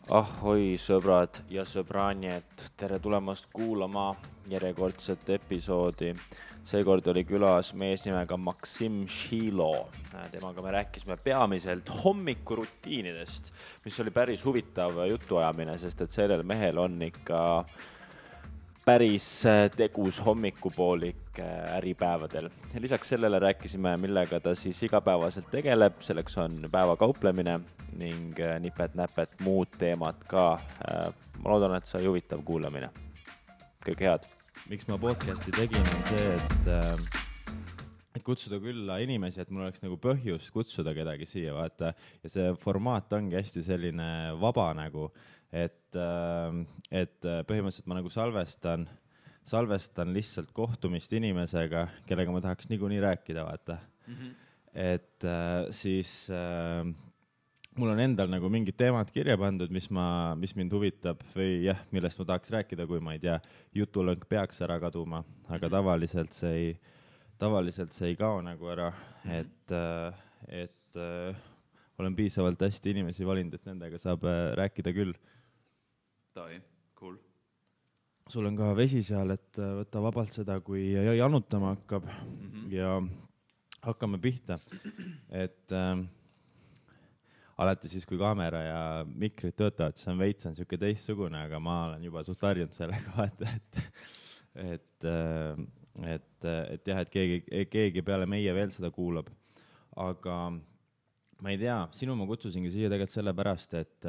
Ahoi sõbrad ja sõbrannid, tere tulemast kuulama järjekordset episoodi. Seekord oli külas mees nimega Maksim Šilo. Temaga me rääkisime peamiselt hommikurutiinidest, mis oli päris huvitav jutuajamine, sest et sellel mehel on ikka päris tegus hommikupoolik äripäevadel. Lisaks sellele rääkisime, millega ta siis igapäevaselt tegeleb, selleks on päevakauplemine ning nipet-näpet muud teemad ka. Ma loodan, et sai huvitav kuulamine. Kõige head. Miks ma podcasti tegin on see, et kutsuda külla inimesi, et mul oleks nagu põhjust kutsuda kedagi siia, vaata. Ja see formaat ongi hästi selline vaba nagu, et põhimõtteliselt ma nagu salvestan lihtsalt kohtumist inimesega, kellega ma tahaks niikuinii rääkida, vaata. Et siis mul on endal nagu mingid teemad kirja pandud, mis mind huvitab või jah, millest ma tahaks rääkida, kui ma ei tea, jutulõng peaks ära kaduma, aga tavaliselt see ei kao nagu ära, et olen piisavalt hästi inimesi valinud, et nendega saab rääkida küll. Tai, cool. Sul on ka vesi seal, et võta vabalt seda, kui janutama hakkab ja hakkame pihta. Et alati siis, kui kaamera ja mikrid töötavad, siis on veits siuke teistsugune, aga ma olen juba suht harjunud sellega vaata, et jah, et keegi peale meie veel seda kuulab. Aga ma ei tea, sinu ma kutsusingi siia tegelikult sellepärast, et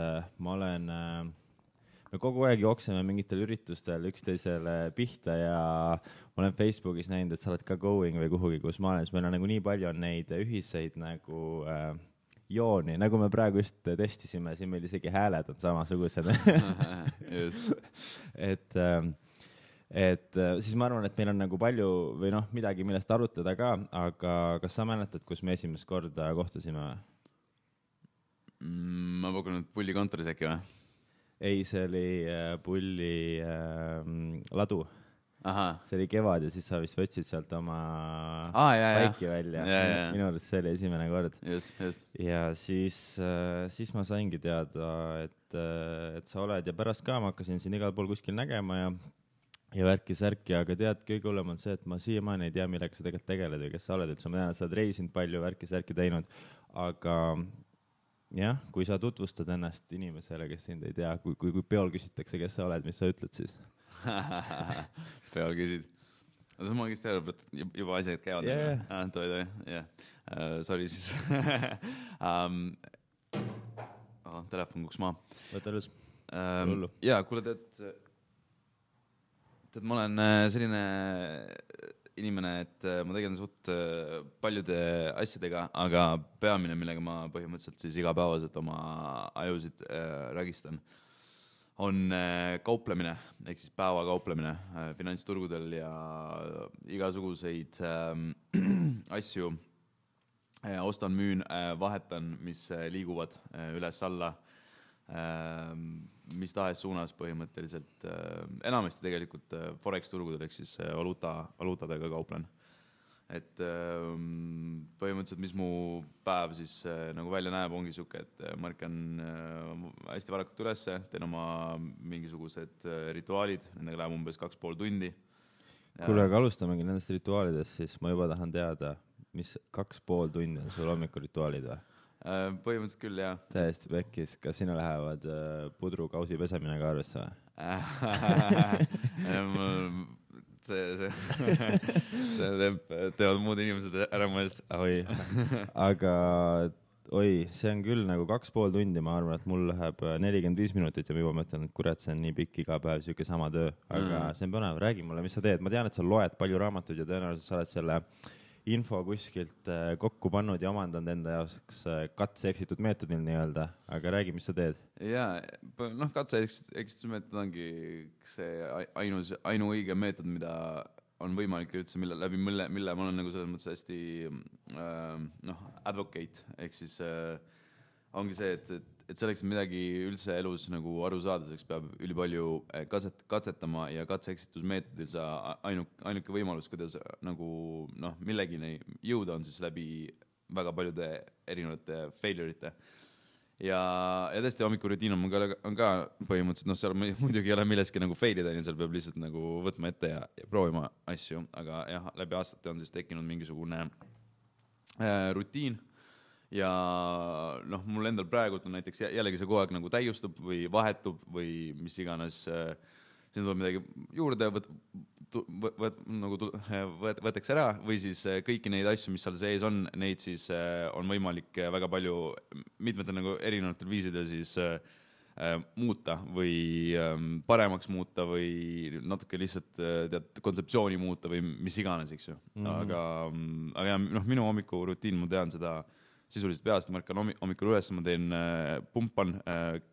me kogu aeg jookseme mingitel üritustel üksteisele pihta ja ma olen Facebookis näinud, et sa oled ka going või kuhugi, kus ma olen, siis meil on nagu nii palju on neid ühiseid nagu jooni, nagu me praegu just testisime, siin meil isegi hääled on samasugused. Just. Et siis ma arvan, et meil on nagu palju või midagi, millest arutada ka, aga kas sa mäletad, kus me esimest korda kohtusime? Ma pakun, et Pulli kontoris äkki või? Ei, see oli Pulli ladu. Aha. See oli kevad ja siis sa vist võtsid sealt oma paiki välja. Minu arust see oli esimene kord. Just. Ja siis ma saingi teada, et sa oled ja pärast ka ma hakkasin siin igal pool kuskil nägema ja värki-särki, aga tead, kõige hullem on see, et ma siiamaani ei tea, millega sa tegelikult tegeled või kes sa oled üldse. Ma tean, et sa oled reisinud palju, värki-särki teinud, aga jah, kui sa tutvustad ennast inimesele, kes sind ei tea, kui peol küsitakse, kes sa oled, mis sa ütled siis? Peol küsid. Sa ma õigesti arvab, et juba asjad käivad. Yeah. Sorry siis. Telefon kuks maa. Võta lõs. Jaa, kuule, tead, ma olen selline inimene, et ma tegelen suht paljude asjadega, aga peamine, millega ma põhimõtteliselt siis igapäevaselt oma ajusid rägistan, on kauplemine, ehk siis päevakauplemine finantsturgudel ja igasuguseid asju ostan, müün, vahetan, mis liiguvad üles-alla, mis tahes suunas põhimõtteliselt, enamasti tegelikult Forex-turgudel, ehk siis valuutadega kauplen. Et põhimõtteliselt, mis mu päev siis nagu välja näeb, ongi suke, et ma ärkan hästi varakult ülesse, teen oma mingisugused rituaalid, nendega läheb umbes 2,5 tundi. Kuule, aga alustamegi nendest rituaalidest, siis ma juba tahan teada, mis 2,5 tundi on sul hommikurituaalid või? Põhimõtteliselt küll, jah. Täiesti pekkis. Kas sinu lähevad pudrukausi pesemine ka arvesse või? See teevad muud inimesed ära mu eest. Aga see on küll nagu 2,5 tundi, ma arvan, et mul läheb 45 minutit ja ma juba mõtlen, et kurat, see on nii pikk iga päev, siuke sama töö. Aga see on põnev, räägi mulle, mis sa teed. Ma tean, et sa loed palju raamatuid ja tõenäoliselt sa oled selle info kuskilt kokku pannud ja omandanud enda jaoks katse-eksitud meetodil nii-öelda, aga räägi, mis sa teed? Jaa, katse-eksitud meetod ongi see ainuõige meetod, mida on võimalik üldse, mille ma olen nagu selles mõttes hästi advocate, ehk siis ongi see, et selleks midagi üldse elus nagu aru saada, selleks peab ülipalju katsetama ja katse-eksitusmeetodil sa ainuke võimalus, kuidas nagu millegini jõuda on siis läbi väga paljude erinevate failure'ite. ja tõesti hommikurutiin on ka põhimõtteliselt, noh, seal muidugi ei ole milleski nagu fail ida, seal peab lihtsalt nagu võtma ette ja proovima asju, aga jah, läbi aastate on siis tekkinud mingisugune rutiin ja noh, mul endal praegult on näiteks jällegi see kogu aeg nagu täiustub või vahetub või mis iganes, siin tuleb midagi juurde, võtaks ära või siis kõiki neid asju, mis seal sees on, neid siis on võimalik väga palju mitmetel nagu erinevatel viisidel siis muuta või paremaks muuta või natuke lihtsalt tead kontseptsiooni muuta või mis iganes, eks ju. Aga jah, noh, minu hommikurutiin, ma tean seda sisuliselt peast, ma ärkan hommikul üles, ma teen pumpan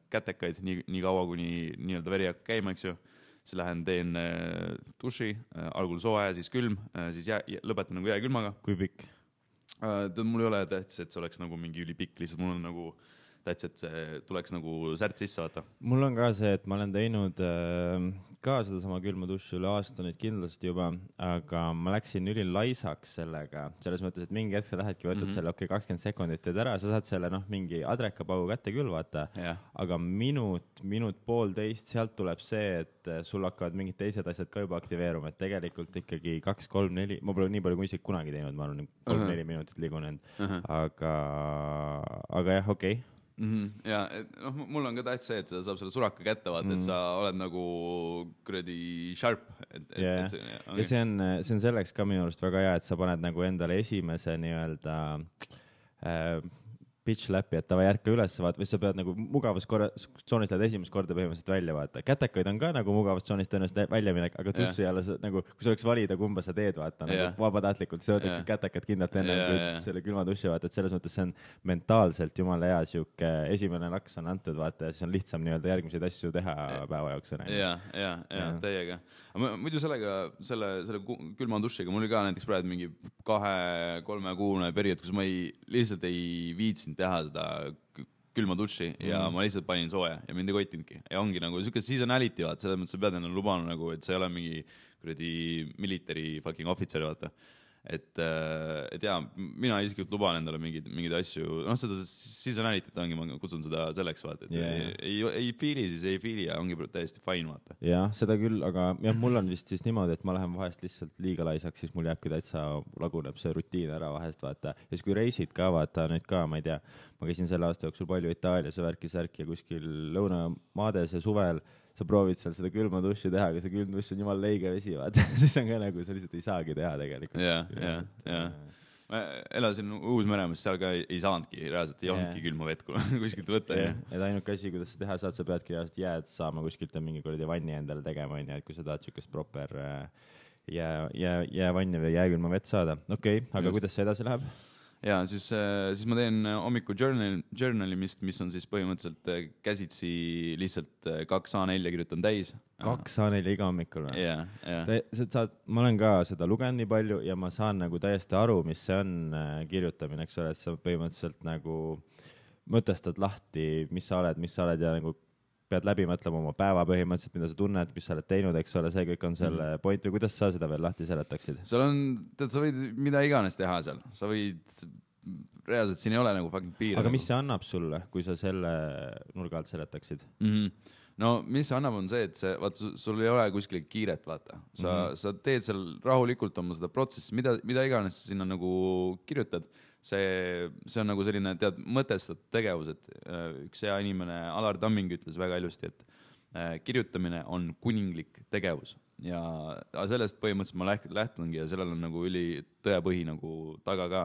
kätekaid nii kaua, kuni nii-öelda veri hakkab käima, eks ju. Siis lähen teen duši, algul soe, siis külm, siis lõpetan nagu jääkülmaga. Kui pikk? Mul ei ole tähtis, et see oleks nagu mingi ülipikk, lihtsalt mul on nagu tähtis, et see tuleks nagu särt sisse vaata. Mul on ka see, et ma olen teinud ka seda sama külma duši üle aasta nüüd kindlasti juba, aga ma läksin ülilaisaks sellega, selles mõttes, et mingi hetk sa lähedki, võtad selle 20 sekundit teed ära, sa saad selle mingi adrekapaugu kätte küll vaata, aga minut, poolteist, sealt tuleb see, et sul hakkavad mingid teised asjad ka juba aktiveeruma, et tegelikult ikkagi 2, 3, 4, ma pole nii palju kui isegi kunagi teinud, ma olen 3-4 minutit liigunud, aga jah, okei. Ja noh, mul on ka tähtis see, et sa saab selle suraka kätte vaata, et sa oled nagu kuradi sharp. Ja see on selleks ka minu arust väga hea, et sa paned nagu endale esimese nii-öelda pitch läpi, et tava järka üles vaata, või sa pead nagu mugavustsoonis lähed esimest korda põhimõtteliselt välja vaata. Kätekaid on ka nagu mugavustsoonis tõenäoliselt välja minek, aga tussi jälle nagu, kui sa oleks valida, kumba sa teed vaata, nagu vabatahtlikult, sa võtaksid kätekad kindlalt enne kui selle külma tussi vaata, et selles mõttes see on mentaalselt jumala hea siuke esimene laks on antud vaata ja siis on lihtsam nii-öelda järgmiseid asju teha päeva jaoks. Ja, täiega. Muidu selle külma tussiga, mul oli ka näiteks praegu mingi 2-3 kuune periood, kus ma lihtsalt ei viitsinud teha seda külma duši ja ma lihtsalt panin sooja ja mind ei koitinudki. Ja ongi nagu siuke seasonality vaata, selles mõttes sa pead enne lubanud nagu, et see ei ole mingi kuradi military fucking officer vaata. Et jaa, mina isiklikult luban endale mingeid asju, noh seda seasonality't ongi, ma kutsun seda selleks vaata, et ei feeli, siis ei feeli ja ongi täiesti fine vaata. Jah, seda küll, aga jah, mul on vist siis niimoodi, et ma lähen vahest lihtsalt liiga laisaks, siis mul jääbki täitsa laguneb see rutiin ära vahest vaata. Ja siis kui reisid ka vaata, nüüd ka, ma ei tea, ma käisin selle aasta jooksul palju Itaalias ja värki ja kuskil lõunamaades ja suvel sa proovid seal seda külma duši teha, aga see külm duš on jumal leige vesi, vaata. Siis on ka nagu, sa lihtsalt ei saagi teha tegelikult. Ja. Ma elasin Uus-Meremaas, seal ka ei saanudki, reaalselt ei olnudki külma vett kuskilt võtta. Et ainuke asi, kuidas sa teha saad, sa peadki reaalselt jääd saama kuskilt mingi kuradi vanni endale tegema, et kui sa tahad siukest proper jäävanni või jääkülma vett saada. Okei, aga kuidas see edasi läheb? Ja siis ma teen hommiku journalimist, mis on siis põhimõtteliselt käsitsi lihtsalt 2 A4 kirjutan täis. 2 A4 iga hommikul või? Jah. Ma olen ka seda lugenud nii palju ja ma saan nagu täiesti aru, mis see on kirjutamine, eks ole, et sa põhimõtteliselt nagu mõtestad lahti, mis sa oled ja nagu pead läbi mõtlema oma päeva põhimõtteliselt, mida sa tunned, mis sa oled teinud, eks ole, see kõik on selle point või kuidas sa seda veel lahti seletaksid? Seal on, sa võid mida iganes teha seal, sa võid, reaalselt siin ei ole nagu fucking piir. Aga mis see annab sulle, kui sa selle nurga alt seletaksid? No mis see annab on see, et vaata, sul ei ole kuskil kiiret, vaata. Sa teed seal rahulikult oma seda protsessi, mida iganes sinna nagu kirjutad. See on nagu selline, tead, mõtestatud tegevus, et üks hea inimene, Alar Tamming ütles väga ilusti, et kirjutamine on kuninglik tegevus ja sellest põhimõtteliselt ma lähtungi ja sellel on nagu üli tõepõhi nagu taga ka.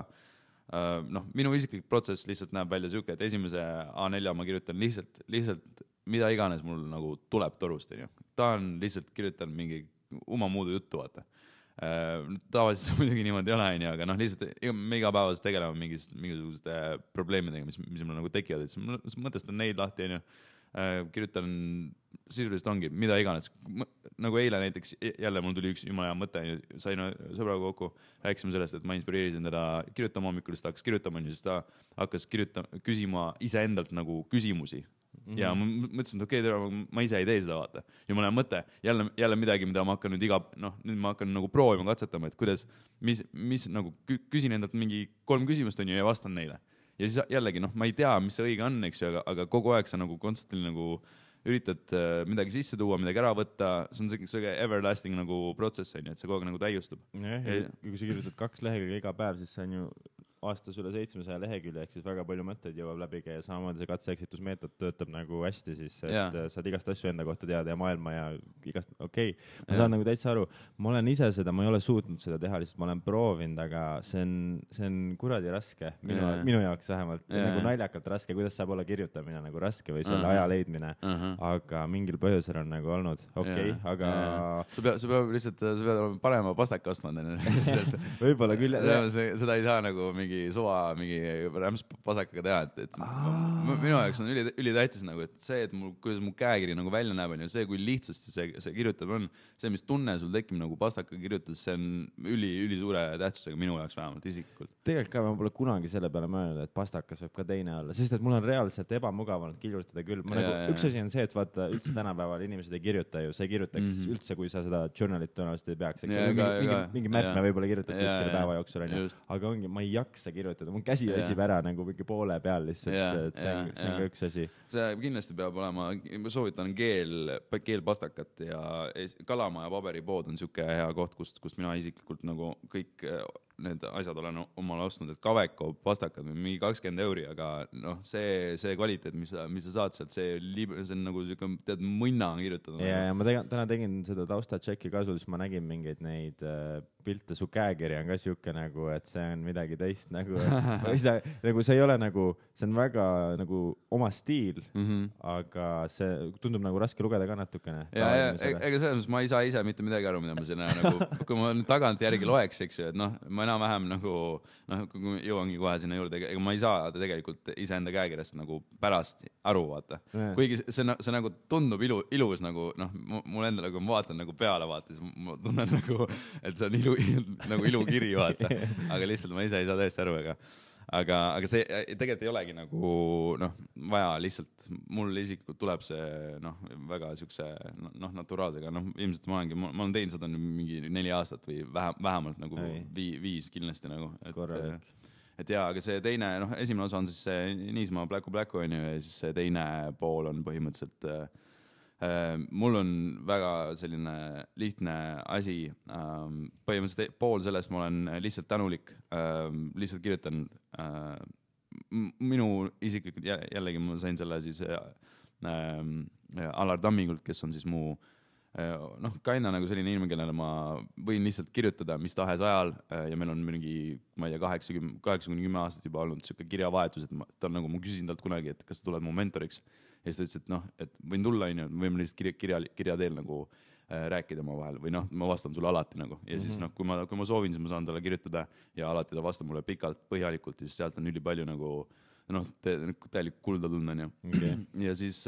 Noh, minu isiklik protsess lihtsalt näeb välja siuke, et esimese A4 ma kirjutan lihtsalt mida iganes mul nagu tuleb torust. Ta on lihtsalt kirjutan mingi muudu juttu, vaata. Tavaliselt muidugi niimoodi ei ole, aga noh, lihtsalt me igapäevaselt tegeleme mingisuguste probleemidega, mis mul nagu tekivad, et siis mõtestan neid lahti, kirjutan sisuliselt ongi, mida iganes. Nagu eile näiteks, jälle mul tuli üks jumala hea mõte, sain sõbraga kokku, rääkisime sellest, et ma inspireerisin teda kirjutama hommikul, siis ta hakkas kirjutama, siis ta hakkas küsima iseendalt nagu küsimusi. Ja ma mõtlesin, et okei, ma ise ei tee seda, vaata. Jumala hea mõte, jälle midagi, mida ma hakkan nüüd nüüd ma hakkan nagu proovima, katsetama, et kuidas, mis nagu küsin endalt mingi 3 küsimust on ju ja vastan neile. ja siis jällegi ma ei tea, mis see õige on, eks ju, aga kogu aeg sa nagu konstantli nagu üritad midagi sisse tuua, midagi ära võtta, see on see everlasting nagu protsess, on ju, et see kogu aeg nagu täiustub. Kui sa kirjutad 2 lehekülge iga päev, siis see on ju aastas üle 700 lehekülje, ehk siis väga palju mõtteid jõuab läbi käia, samamoodi see katse-eksitusmeetod töötab nagu hästi siis, et saad igast asju enda kohta teada ja maailma ja igast, ma saan nagu täitsa aru, ma olen ise seda, ma ei ole suutnud seda teha, lihtsalt ma olen proovinud, aga see on kuradi raske, minu jaoks vähemalt, nagu naljakalt raske, kuidas saab olla kirjutamine nagu raske või selle aja leidmine, aga mingil põhjusel on nagu olnud, aga sa peab lihtsalt, sa pead olema parema pastaka ostma, võib-olla küll, seda ei saa nagu mingi rämpspasakaga teha, et minu jaoks on ülitähtis nagu, et see, et kuidas mu käekiri nagu välja näeb, on ju see, kui lihtsasti see kirjutab on, see, mis tunne sul tekib nagu pastaka kirjutades, see on üli suure tähtsusega minu jaoks vähemalt isiklikult. Tegelikult ka ma pole kunagi selle peale mõelnud, et pastakas võib ka teine olla, sest et mul on reaalselt ebamugav olnud kirjutada küll. Üks asi on see, et vaata, üldse tänapäeval inimesed ei kirjuta ju, sa ei kirjutaks üldse, kui sa seda journalit tõenäoliselt ei peaks. Mingi märkme võib-olla kirjutad kuskile päeva jooksul, aga ongi, ma ei jaksa kirjutada, mul käsi väsib ära nagu mingi poole peal lihtsalt, et see on ka üks asi. See kindlasti peab olema, ma soovitan keelpastakat ja Kalamaja paberipood on siuke hea koht, kust mina isiklikult nagu kõik need asjad olen omale ostnud, et Kaveko pastakad või mingi 20 €, aga see kvaliteet, mis sa saad sealt, see on nagu siuke, tead, munna kirjutada. Ja ma täna tegin seda taustatšekki ka sul, siis ma nägin mingeid neid pilte, su käekiri on ka siuke nagu, et see on midagi teist nagu, nagu see ei ole nagu, see on väga nagu oma stiil, aga see tundub nagu raske lugeda ka natukene. Ega selles mõttes ma ei saa ise mitte midagi aru, mida ma siin nagu, kui ma tagant järgi loeks, eks ju, et ma enam-vähem nagu, kui jõuangi kohe sinna juurde, ega ma ei saa tegelikult iseenda käekirjast nagu pärast aru, vaata. Kuigi see nagu tundub ilus nagu, mul endale, kui ma vaatan nagu peale, vaata, siis ma tunnen nagu, et see on nagu ilukiri, vaata. Aga lihtsalt ma ise ei saa täiesti aru, aga see tegelikult ei olegi nagu vaja, lihtsalt mul isiklikult tuleb see väga siukse naturaalsega, ilmselt ma olen teinud seda mingi 4 aastat või vähemalt nagu 5 kindlasti nagu, et jaa, aga see teine, esimene osa on siis see Niismaa Pläku on ju, ja siis see teine pool on põhimõtteliselt mul on väga selline lihtne asi, põhimõtteliselt pool sellest ma olen lihtsalt tänulik, lihtsalt kirjutan minu isiklikult, jällegi ma sain selle siis Alar Tammingult, kes on siis mu kaina nagu selline inimene, kellele ma võin lihtsalt kirjutada mis tahes ajal ja meil on mingi, ma ei tea, 8-10 aastat juba olnud siuke kirjavahetus, et ta on nagu, ma küsisin talt kunagi, et kas sa tuled mu mentoriks. Ja siis ta ütles, et võin tulla, võime lihtsalt kirja teel nagu rääkida oma vahel või ma vastan sulle alati nagu. Ja siis kui ma soovin, siis ma saan talle kirjutada ja alati ta vastab mulle pikalt, põhjalikult ja siis sealt on üli palju nagu täielik kulda tunda. Ja siis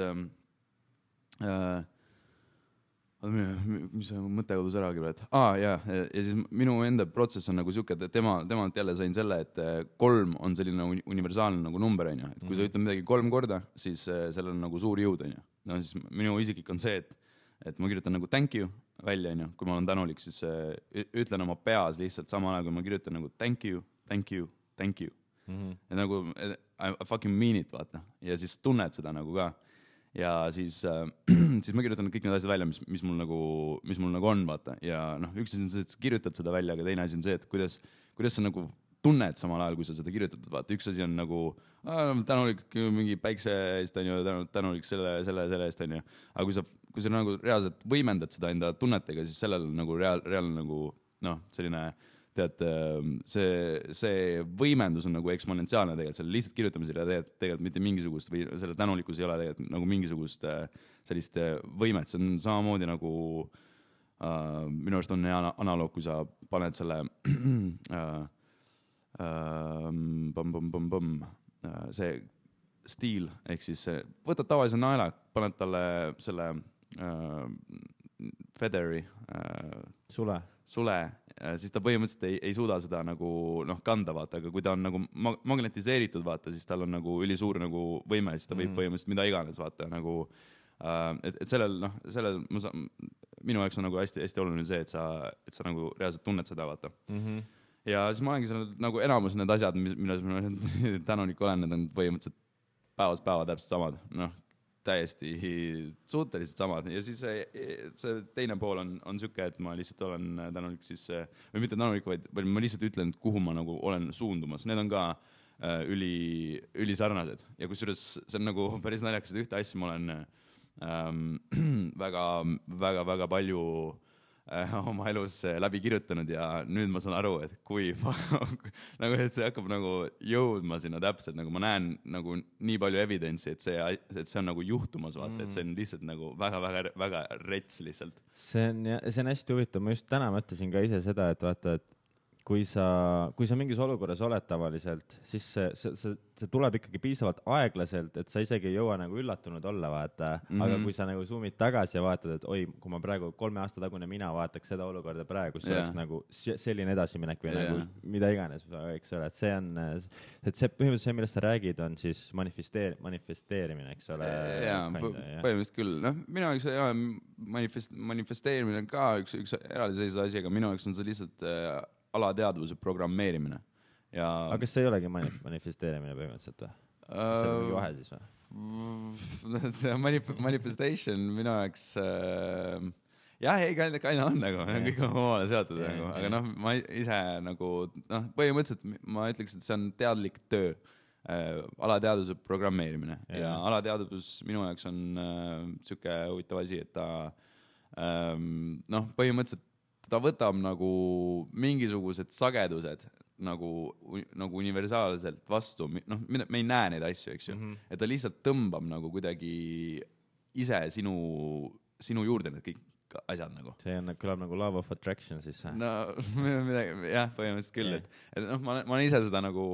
mis mõte kodus ära küll, et ja siis minu enda protsess on nagu siuke, et temalt jälle sain selle, et 3 on selline universaalne nagu number, on ju, et kui sa ütled midagi 3 korda, siis sellel on nagu suur jõud, on ju. Siis minu isiklik on see, et ma kirjutan nagu thank you välja, on ju, kui ma olen tänulik, siis ütlen oma peas lihtsalt samal ajal, kui ma kirjutan nagu thank you, thank you, thank you. Ja nagu I fucking mean it, vaata, ja siis tunned seda nagu ka. Ja siis ma kirjutan kõik need asjad välja, mis mul nagu on, vaata. Ja üks asi on see, et sa kirjutad seda välja, aga teine asi on see, et kuidas sa nagu tunned samal ajal, kui sa seda kirjutad, vaata. Üks asi on nagu tänulik mingi päikse eest, on ju, tänulik selle eest, on ju. Aga kui sa nagu reaalselt võimendad seda enda tunnetega, siis sellel on nagu reaalne nagu, selline, tead, see võimendus on nagu eksponentsiaalne tegelikult, selle lihtsalt kirjutamisel ja tegelikult mitte mingisugust või selle tänulikkus ei ole tegelikult nagu mingisugust sellist võimet, see on samamoodi nagu minu arust on hea analoog, kui sa paned selle see stiil, ehk siis võtad tavalise naela, paned talle selle featheri sule, siis ta põhimõtteliselt ei suuda seda nagu kanda, vaata, aga kui ta on nagu magnetiseeritud, vaata, siis tal on nagu ülisuur nagu võime, siis ta võib põhimõtteliselt mida iganes, vaata, nagu et sellel minu jaoks on nagu hästi oluline see, et sa nagu reaalselt tunned seda, vaata. ja siis ma olengi seal nagu enamus need asjad, milles ma tänulik olen, need on põhimõtteliselt päevast päeva täpselt samad, noh, täiesti suhteliselt samad ja siis see teine pool on siuke, et ma lihtsalt olen tänulik siis, või mitte tänulik, vaid ma lihtsalt ütlen, et kuhu ma nagu olen suundumas, need on ka üli sarnased ja kusjuures see on nagu päris naljakas, et ühte asja ma olen väga palju oma elus läbi kirjutanud ja nüüd ma saan aru, et kui nagu, et see hakkab nagu jõudma sinna täpselt, nagu ma näen nagu nii palju evidentsi, et see on nagu juhtumas, vaata, et see on lihtsalt nagu väga rets lihtsalt. See on hästi huvitav, ma just täna mõtlesin ka ise seda, et vaata, et kui sa mingis olukorras oled tavaliselt, siis see tuleb ikkagi piisavalt aeglaselt, et sa isegi ei jõua nagu üllatunud olla, vaata. Aga kui sa nagu zoomid tagasi ja vaatad, et oi, kui ma praegu 3 aasta tagune mina vaataks seda olukorda praegu, siis oleks nagu selline edasiminek või nagu mida iganes, eks ole, et see on, et see põhimõtteliselt see, millest sa räägid, on siis manifesteerimine, eks ole. Põhimõtteliselt küll. Noh, minu jaoks manifesteerimine on ka üks eraldiseisev asi, aga minu jaoks on see lihtsalt alateadvuse programmeerimine. Aga kas see ei olegi manifesteerimine põhimõtteliselt või? Kas see on mingi vahe siis või? Manifestation minu jaoks kaina on nagu, kõik on omale seotud nagu, aga noh, ma ise nagu, noh, põhimõtteliselt ma ütleks, et see on teadlik töö, alateadvuse programmeerimine ja alateadvus minu jaoks on siuke huvitav asi, et ta noh, põhimõtteliselt ta võtab nagu mingisugused sagedused nagu universaalselt vastu, noh, me ei näe neid asju, eks ju, et ta lihtsalt tõmbab nagu kuidagi ise sinu juurde need kõik asjad nagu. See on, kõlab nagu love of attraction siis. No, jah, põhimõtteliselt küll, et noh, ma olen ise seda nagu,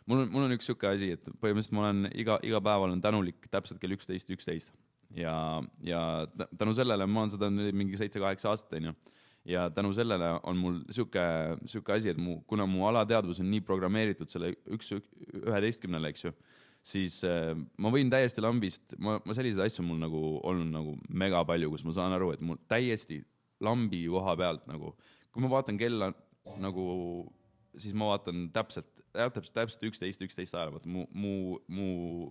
mul on üks siuke asi, et põhimõtteliselt ma olen iga päev olen tänulik täpselt kell 11:11. Ja tänu sellele ma olen seda mingi 7-8 aastat, ja tänu sellele on mul siuke asi, et kuna mu alateadvus on nii programmeeritud selle 11-le, eks ju, siis ma võin täiesti lambist, ma selliseid asju mul nagu olnud nagu mega palju, kus ma saan aru, et mul täiesti lambi koha pealt nagu, kui ma vaatan kella nagu, siis ma vaatan täpselt 11 ajal, mu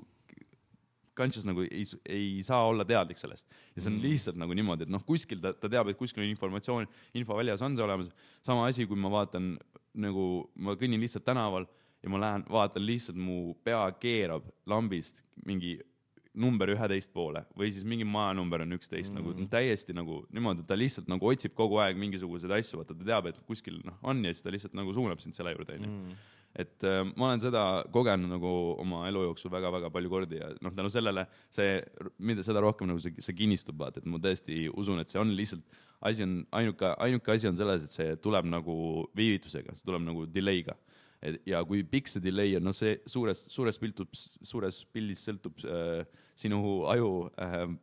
conscious nagu ei saa olla teadlik sellest. Ja see on lihtsalt nagu niimoodi, et noh, kuskil ta teab, et kuskil on infoväljas on see olemas. Sama asi, kui ma vaatan, nagu ma kõnnin lihtsalt tänaval ja ma lähen, vaatan lihtsalt mu pea keerab lambist mingi number 11 poole või siis mingi majanumber on 11, nagu täiesti nagu niimoodi, ta lihtsalt nagu otsib kogu aeg mingisuguseid asju, vaata ta teab, et kuskil on ja siis ta lihtsalt nagu suunab sind selle juurde, Et ma olen seda kogenud nagu oma elu jooksul väga palju kordi ja noh, tänu sellele seda rohkem nagu see kinnistub, vaat, et ma tõesti usun, et see on lihtsalt ainuke asi on selles, et see tuleb nagu viivitusega, see tuleb nagu delay'ga. Ja kui pikk see delay on, no see suures pildis sõltub sinu aju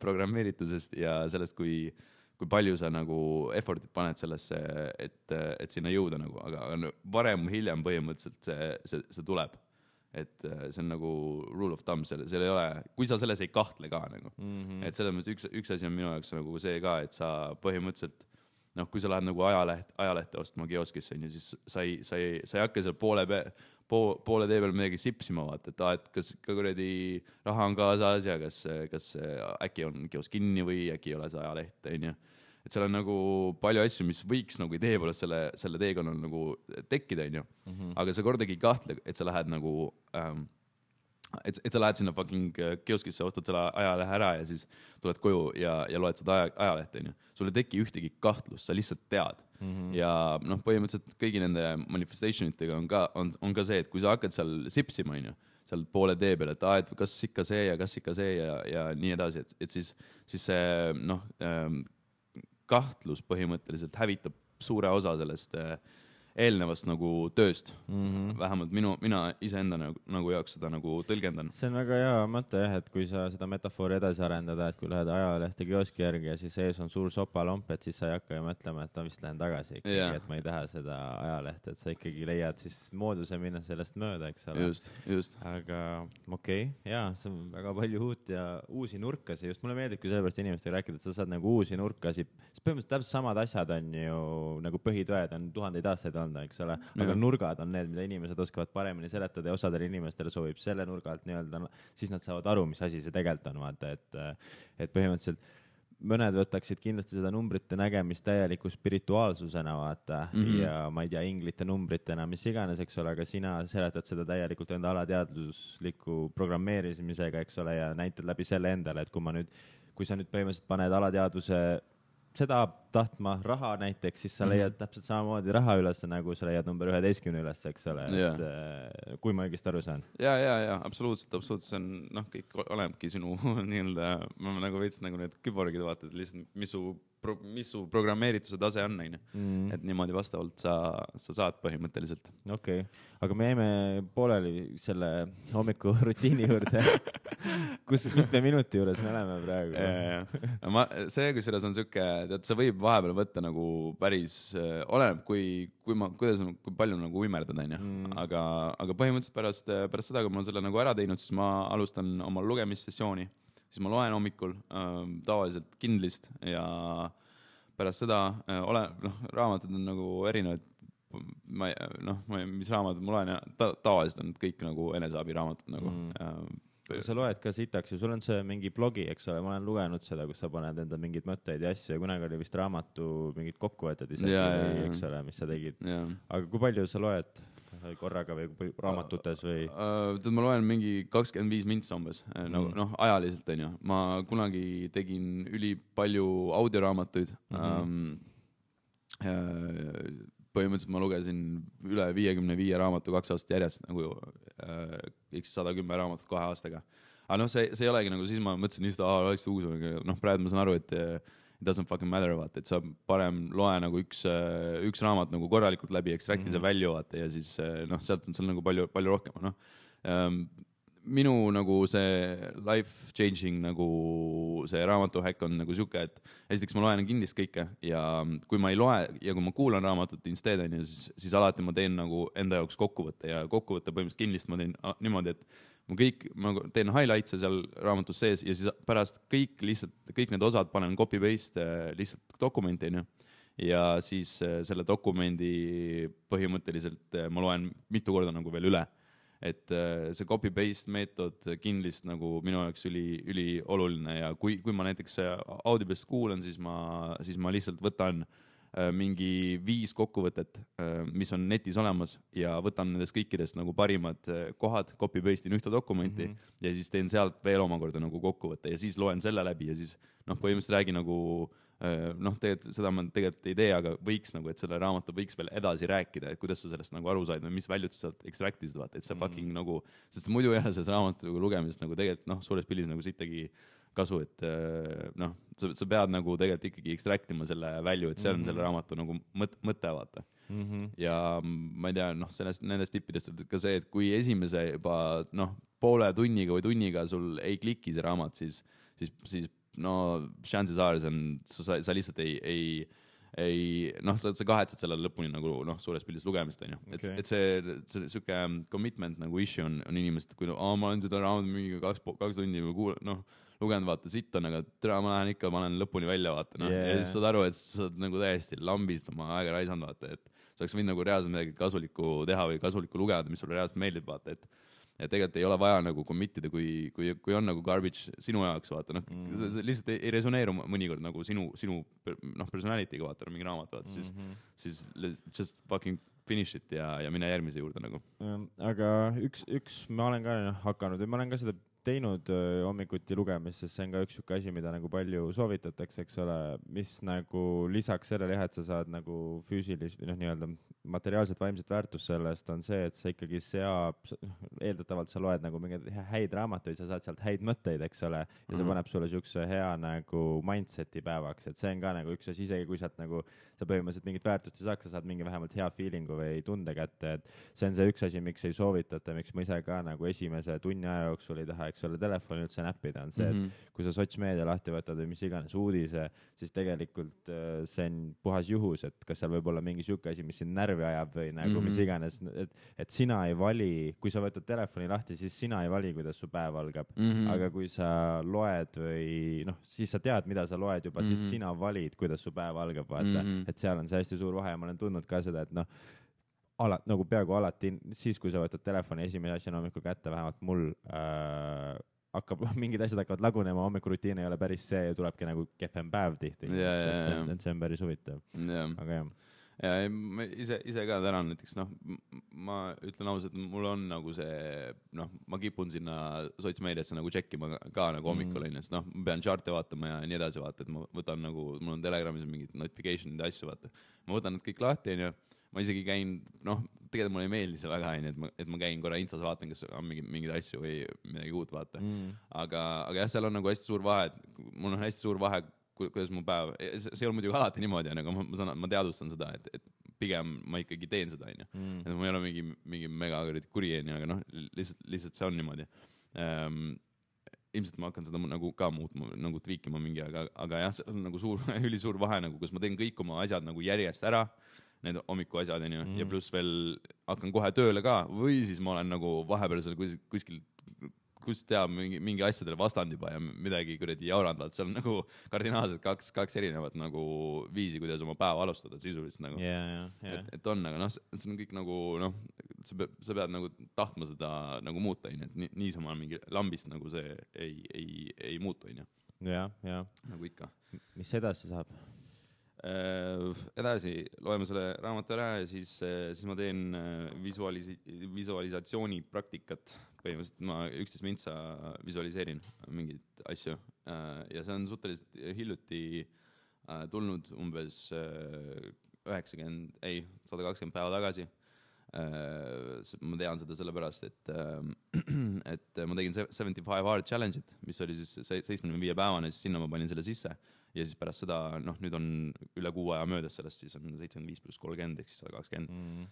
programmeeritusest ja sellest, kui palju sa nagu effortit paned sellesse, et sinna jõuda nagu, aga varem hiljem põhimõtteliselt see tuleb. Et see on nagu rule of thumb, seal ei ole, kui sa selles ei kahtle ka nagu. Et selles mõttes üks asi on minu jaoks nagu see ka, et sa põhimõtteliselt noh, kui sa lähed nagu ajalehte ostma kioskisse, siis sa ei hakka seal poole tee peal midagi sipsima, vaata, et kas ka kuradi raha on kaasas ja kas äkki on kiosk kinni või äkki ei ole see ajaleht, et seal on nagu palju asju, mis võiks nagu idee poolest selle teekonnal nagu tekkida, aga sa kordagi ei kahtle, et sa lähed nagu et sa lähed sinna fucking kioskisse, ostad selle ajalehe ära ja siis tuled koju ja loed seda ajalehte, sul ei teki ühtegi kahtlust, sa lihtsalt tead. Ja noh, põhimõtteliselt kõigi nende manifestationitega on ka see, et kui sa hakkad seal sipsima, seal poole tee peal, et kas ikka see ja nii edasi, et siis see noh, kahtlus põhimõtteliselt hävitab suure osa sellest eelnevast nagu tööst vähemalt mina iseenda nagu jaoks seda nagu tõlgendan. See on väga hea mõte jah, et kui sa seda metafoori edasi arendada, et kui lähed ajalehte kioski järgi ja siis ees on suur sopalomp, et siis sa ei hakka ju mõtlema, et vist lähen tagasi ikkagi, et ma ei taha seda ajalehte, et sa ikkagi leiad siis mooduse minna sellest mööda, eks ole. Just. Aga okei, jaa, see on väga palju uut ja uusi nurkasi, just mulle meeldib, kui sellepärast inimestega rääkida, et sa saad nagu uusi nurkasi, siis põhimõtteliselt täpselt samad asjad on ju nagu põhitõed on tuhandeid aastaid olnud, eks ole, aga nurgad on need, mida inimesed oskavad paremini seletada ja osadele inimestele sobib selle nurga alt nii-öelda, siis nad saavad aru, mis asi see tegelikult on, vaata, et põhimõtteliselt mõned võtaksid kindlasti seda numbrite nägemist täieliku spirituaalsusena, vaata, ja ma ei tea, inglite numbritena, mis iganes, eks ole, aga sina seletad seda täielikult enda alateadlusliku programmeerimisega, eks ole, ja näitad läbi selle endale, et kui sa nüüd põhimõtteliselt paned alateadvuse seda tahtma raha näiteks, siis sa leiad täpselt samamoodi raha üles, nagu sa leiad number 11 üles, eks ole, et kui ma õigesti aru saan. Ja, absoluutselt, see on, kõik olenebki sinu nii-öelda, ma nagu veits nagu need küborgid vaatad, lihtsalt mis su programmeerituse tase on, et niimoodi vastavalt sa saad põhimõtteliselt. Okei, aga me jäime pooleli selle hommiku rutiini juurde, kus mitme minuti juures me oleme praegu. See, kui selles on siuke, tead, sa võib vahepeal võtta nagu päris, oleneb, kui palju nagu uimerdad, aga põhimõtteliselt pärast seda, kui ma olen selle nagu ära teinud, siis ma alustan oma lugemissessiooni, siis ma loen hommikul tavaliselt Kindlist ja pärast seda raamatud on nagu erinevad, mis raamatud ma loen ja tavaliselt on kõik nagu eneseabiraamatud nagu. Sa loed ka sitaks ja sul on see mingi blogi, eks ole, ma olen lugenud seda, kus sa paned enda mingeid mõtteid ja asju ja kunagi oli vist raamatu mingid kokkuvõtted isegi, eks ole, mis sa tegid. Aga kui palju sa loed korraga või raamatutes või? Ma loen mingi 25 mintsa umbes, ajaliselt on ju. Ma kunagi tegin ülipalju audioraamatuid. Põhimõtteliselt ma lugesin üle 55 raamatu 2 aastat järjest, nagu x 110 raamatut 2 aastaga. Aga see ei olegi nagu, siis ma mõtlesin just, oleks uus, praegu ma saan aru, et it doesn't fucking matter, vaata, et sa parem loe nagu üks raamat nagu korralikult läbi, extracti see välja, vaata, ja siis sealt on seal nagu palju rohkem, minu nagu see life changing nagu see raamatuhäkk on nagu siuke, et esiteks ma loen Kindlist kõike ja kui ma ei loe ja kui ma kuulan raamatut instead, siis alati ma teen nagu enda jaoks kokkuvõtte ja kokkuvõtte põhimõtteliselt Kindlist ma teen niimoodi, et ma teen highlights'e seal raamatus sees ja siis pärast kõik need osad panen copy-paste lihtsalt dokumenti, ja siis selle dokumendi põhimõtteliselt ma loen mitu korda nagu veel üle. Et see copy-paste meetod Kindlist nagu minu jaoks üli oluline ja kui ma näiteks Audiblist kuulan, siis ma lihtsalt võtan mingi 5 kokkuvõtet, mis on netis olemas ja võtan nendest kõikidest nagu parimad kohad, copy-paste in ühte dokumenti ja siis teen sealt veel omakorda nagu kokkuvõtte ja siis loen selle läbi ja siis põhimõtteliselt räägi nagu seda ma tegelikult ei tee, aga võiks nagu, et selle raamatu võiks veel edasi rääkida, et kuidas sa sellest nagu aru said või mis väljud sa sealt extractisid, vaata, et see fucking nagu, sest muidu jah, selles raamatu lugemisest nagu tegelikult suures pildis nagu sittagi kasu, et sa pead nagu tegelikult ikkagi extractima selle välju, et see on selle raamatu nagu mõte, vaata. Ja ma ei tea, nendest tippidest ka see, et kui esimese juba poole tunniga või tunniga sul ei kliki see raamat, siis chances are sa lihtsalt sa kahetsed selle lõpuni nagu suures pildis lugemist, on ju. Et see siuke commitment nagu issue on inimesed, kui ma olen seda raamat mingi 2 tundi või lugenud, vaata, sitt on, aga ma lähen lõpuni välja, vaata, ja siis saad aru, et sa oled nagu täiesti lambist oma aega raisanud, vaata, et sa oleks võinud nagu reaalselt midagi kasulikku teha või kasulikku lugeda, mis sulle reaalselt meeldib, vaata, et tegelikult ei ole vaja nagu commitida, kui on nagu garbage sinu jaoks, vaata, see lihtsalt ei resoneeru mõnikord nagu sinu personality'ga, vaata, mingi raamat, vaata, siis just fucking finish it ja mine järgmise juurde nagu. Aga üks ma olen ka hakanud või ma olen ka seda teinud hommikuti lugemist, sest see on ka üks siuke asi, mida nagu palju soovitatakse, eks ole, mis nagu lisaks sellele jah, et sa saad nagu füüsilist või nii-öelda materiaalset vaimset väärtust sellest on see, et sa ikkagi eeldatavalt sa loed nagu mingeid häid raamatuid, sa saad sealt häid mõtteid, eks ole, ja see paneb sulle siukse hea nagu mindseti päevaks, et see on ka nagu üks asi, isegi kui sealt nagu sa põhimõtteliselt mingit väärtust ei saaks, sa saad mingi vähemalt hea feelingu või tunde kätte, et see on see üks asi, miks ei soovitata, miks ma ise ka nagu esimese tunni aja jooksul ei taha, eks ole, telefoni üldse näppida, on see, et kui sa sotsmeedia lahti võtad või mis iganes uudise, siis tegelikult see on puhas juhus, et kas seal võib olla mingi siuke asi, mis sind närvi ajab või nagu mis iganes, et sina ei vali, kui sa võtad telefoni lahti, siis sina ei vali, kuidas su päev algab, aga kui sa loed või noh, siis sa tead, mida sa loed juba, siis sina valid, kuidas su päev algab, vaata, et seal on see hästi suur vahe ja ma olen tundnud ka seda, et noh, nagu peaaegu alati siis, kui sa võtad telefoni esimese asjana hommikul kätte, vähemalt mul mingid asjad hakkavad lagunema, hommikurutiin ei ole päris see ja tulebki nagu kehvem päev tihti. See on päris huvitav. Aga jah. Ja ma ise ka tänan näiteks, noh, ma ütlen ausalt, mul on nagu see, noh, ma kipun sinna sotsmeediasse nagu tšekkima ka nagu hommikul, sest noh, ma pean chart'e vaatama ja nii edasi vaata, et ma võtan nagu, mul on Telegramis mingid notification'id ja asju vaata. Ma võtan need kõik lahti, ma isegi käin, noh, tegelikult mulle ei meeldi see väga, et ma käin korra Instas vaatan, kas on mingeid asju või midagi uut vaata. Aga jah, seal on nagu hästi suur vahe, mul on hästi suur vahe, kuidas mu päev, see ei ole muidugi alati niimoodi, aga ma teadvustan seda, et pigem ma ikkagi teen seda, et ma ei ole mingi mega kuri, aga noh, lihtsalt see on niimoodi. Ilmselt ma hakkan seda nagu ka muutma, nagu tweakima mingi, aga jah, see on nagu ülisuur vahe, nagu, kus ma teen kõik oma asjad nagu järjest ära, need hommiku asjad, ja pluss veel hakkan kohe tööle ka, või siis ma olen nagu vahepeal seal kuskil kus teab mingi asjadele vastand juba ja midagi kuradi jaurandavad, seal on nagu kardinaalselt kaks erinevat nagu viisi, kuidas oma päeva alustada sisuliselt nagu. Et on, aga noh, see on kõik nagu, noh, sa pead nagu tahtma seda nagu muuta, et niisama mingi lambist nagu see ei muutu, nagu ikka. Mis edasi saab? Edasi loeme selle raamatu ära ja siis ma teen visualisatsiooni praktikat. Põhimõtteliselt ma 11 mintsa visualiseerin mingeid asju ja see on suhteliselt hiljuti tulnud umbes 120 päeva tagasi. Ma tean seda sellepärast, et ma tegin 75 hard challenge'it, mis oli siis 75 päevane, siis sinna ma panin selle sisse ja siis pärast seda, noh, nüüd on üle 6 aja möödas sellest, siis on 75 pluss 30 ehk siis 120.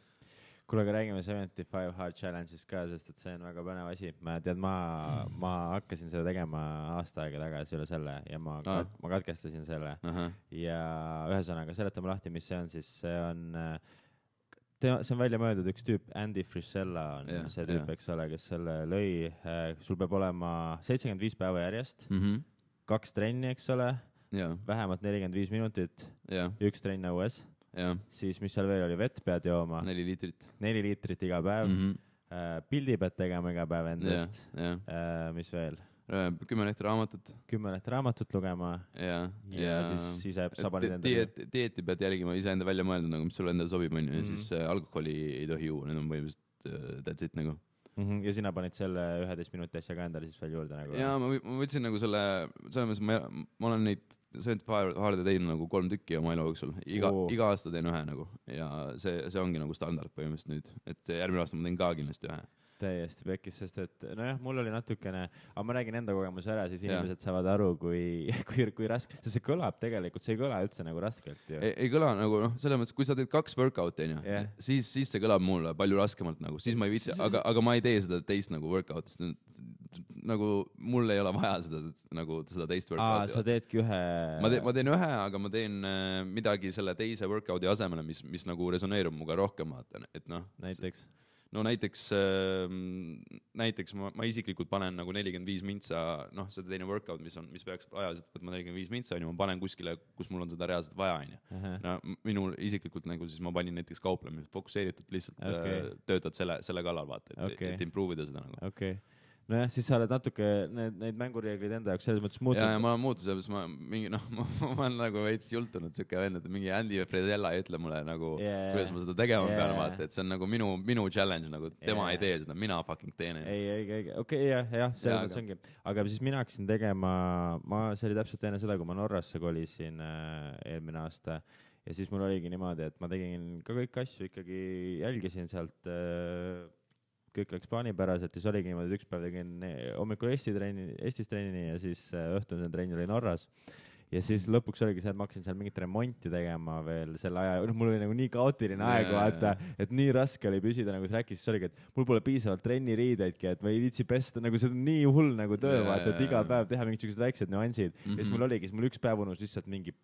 Kuule, aga räägime 75 hard challenge'ist ka, sest et see on väga põnev asi. Ma hakkasin seda tegema aasta aega tagasi üle selle ja ma katkestasin selle. Ja ühesõnaga, seletame lahti, mis see on, siis see on välja mõeldud üks tüüp, Andy Frisella on see tüüp, eks ole, kes selle lõi. Sul peab olema 75 päeva järjest, 2 trenni, eks ole, vähemalt 45 minutit, 1 trenn õues. Siis mis seal veel oli, vett pead jooma 4 liitrit iga päev, pildi pead tegema iga päev endast, mis veel 10 lehte raamatut lugema ja siis sa panid dieeti pead jälgima, iseenda välja mõelda, nagu, mis sulle endale sobib, ja siis alkoholi ei tohi juua, need on põhimõtteliselt that's it nagu. Ja sina panid selle 11 minuti asja ka endale siis veel juurde nagu? Jaa, ma võtsin nagu selles mõttes, ma olen neid 75 hard'e teinud nagu 3 tükki oma elu jooksul. Iga aasta teen ühe nagu ja see ongi nagu standard põhimõtteliselt nüüd, et järgmine aasta ma teen ka kindlasti ühe. Täiesti pekkis, sest et nojah, mul oli natukene, aga ma räägin enda kogemuse ära, siis inimesed saavad aru, kui raske, sest see kõlab tegelikult, see ei kõla üldse nagu raskelt ju. Ei kõla nagu, noh, selles mõttes, kui sa teed 2 workout'i, siis see kõlab mulle palju raskemalt nagu, siis ma ei viitsi, aga ma ei tee seda teist nagu workout'ist, nagu mul ei ole vaja seda teist workout'i. Sa teedki ühe? Ma teen ühe, aga ma teen midagi selle teise workout'i asemele, mis nagu resoneerub muga rohkem, et noh. Näiteks ma isiklikult panen nagu 45 mintsa, noh, seda teine workout, mis peaks ajaliselt võtma 45 mintsa, ma panen kuskile, kus mul on seda reaalselt vaja. No, minul isiklikult nagu siis ma panin näiteks kauplemist, fokusseeritud lihtsalt töötad selle kallal, vaata, et improve'ida seda nagu. Okay. nojah, siis sa oled natuke neid mängureeglid enda jaoks selles mõttes muutnud. Ja ma olen muutunud, sellepärast ma mingi, ma olen nagu veits jultunud siuke vend, et mingi Andy Frisella ei ütle mulle nagu, kuidas ma seda tegema pean, vaata, et see on nagu minu challenge, nagu tema ei tee seda, mina fucking teen. Okei, jah, selles mõttes ongi. Aga siis mina hakkasin tegema, see oli täpselt enne seda, kui ma Norrasse kolisin eelmine aasta ja siis mul oligi niimoodi, et ma tegin ka kõik asju ikkagi, jälgisin sealt kõik läks plaanipäraselt ja siis oligi niimoodi, et üks päev tegin hommikul Eestis trenni ja siis õhtune trenn oli Norras. Ja siis lõpuks oligi see, et ma hakkasin seal mingit remonti tegema veel selle aja, mul oli nagu nii kaootiline aeg, vaata, et nii raske oli püsida, nagu sa rääkisid, siis oligi, et mul pole piisavalt trenniriideidki, et ma ei viitsi pesta, nagu see on nii hull nagu töö, vaata, et iga päev teha mingisugused väiksed nüansid. Ja siis mul oligi, mul üks päev unus lihtsalt mingi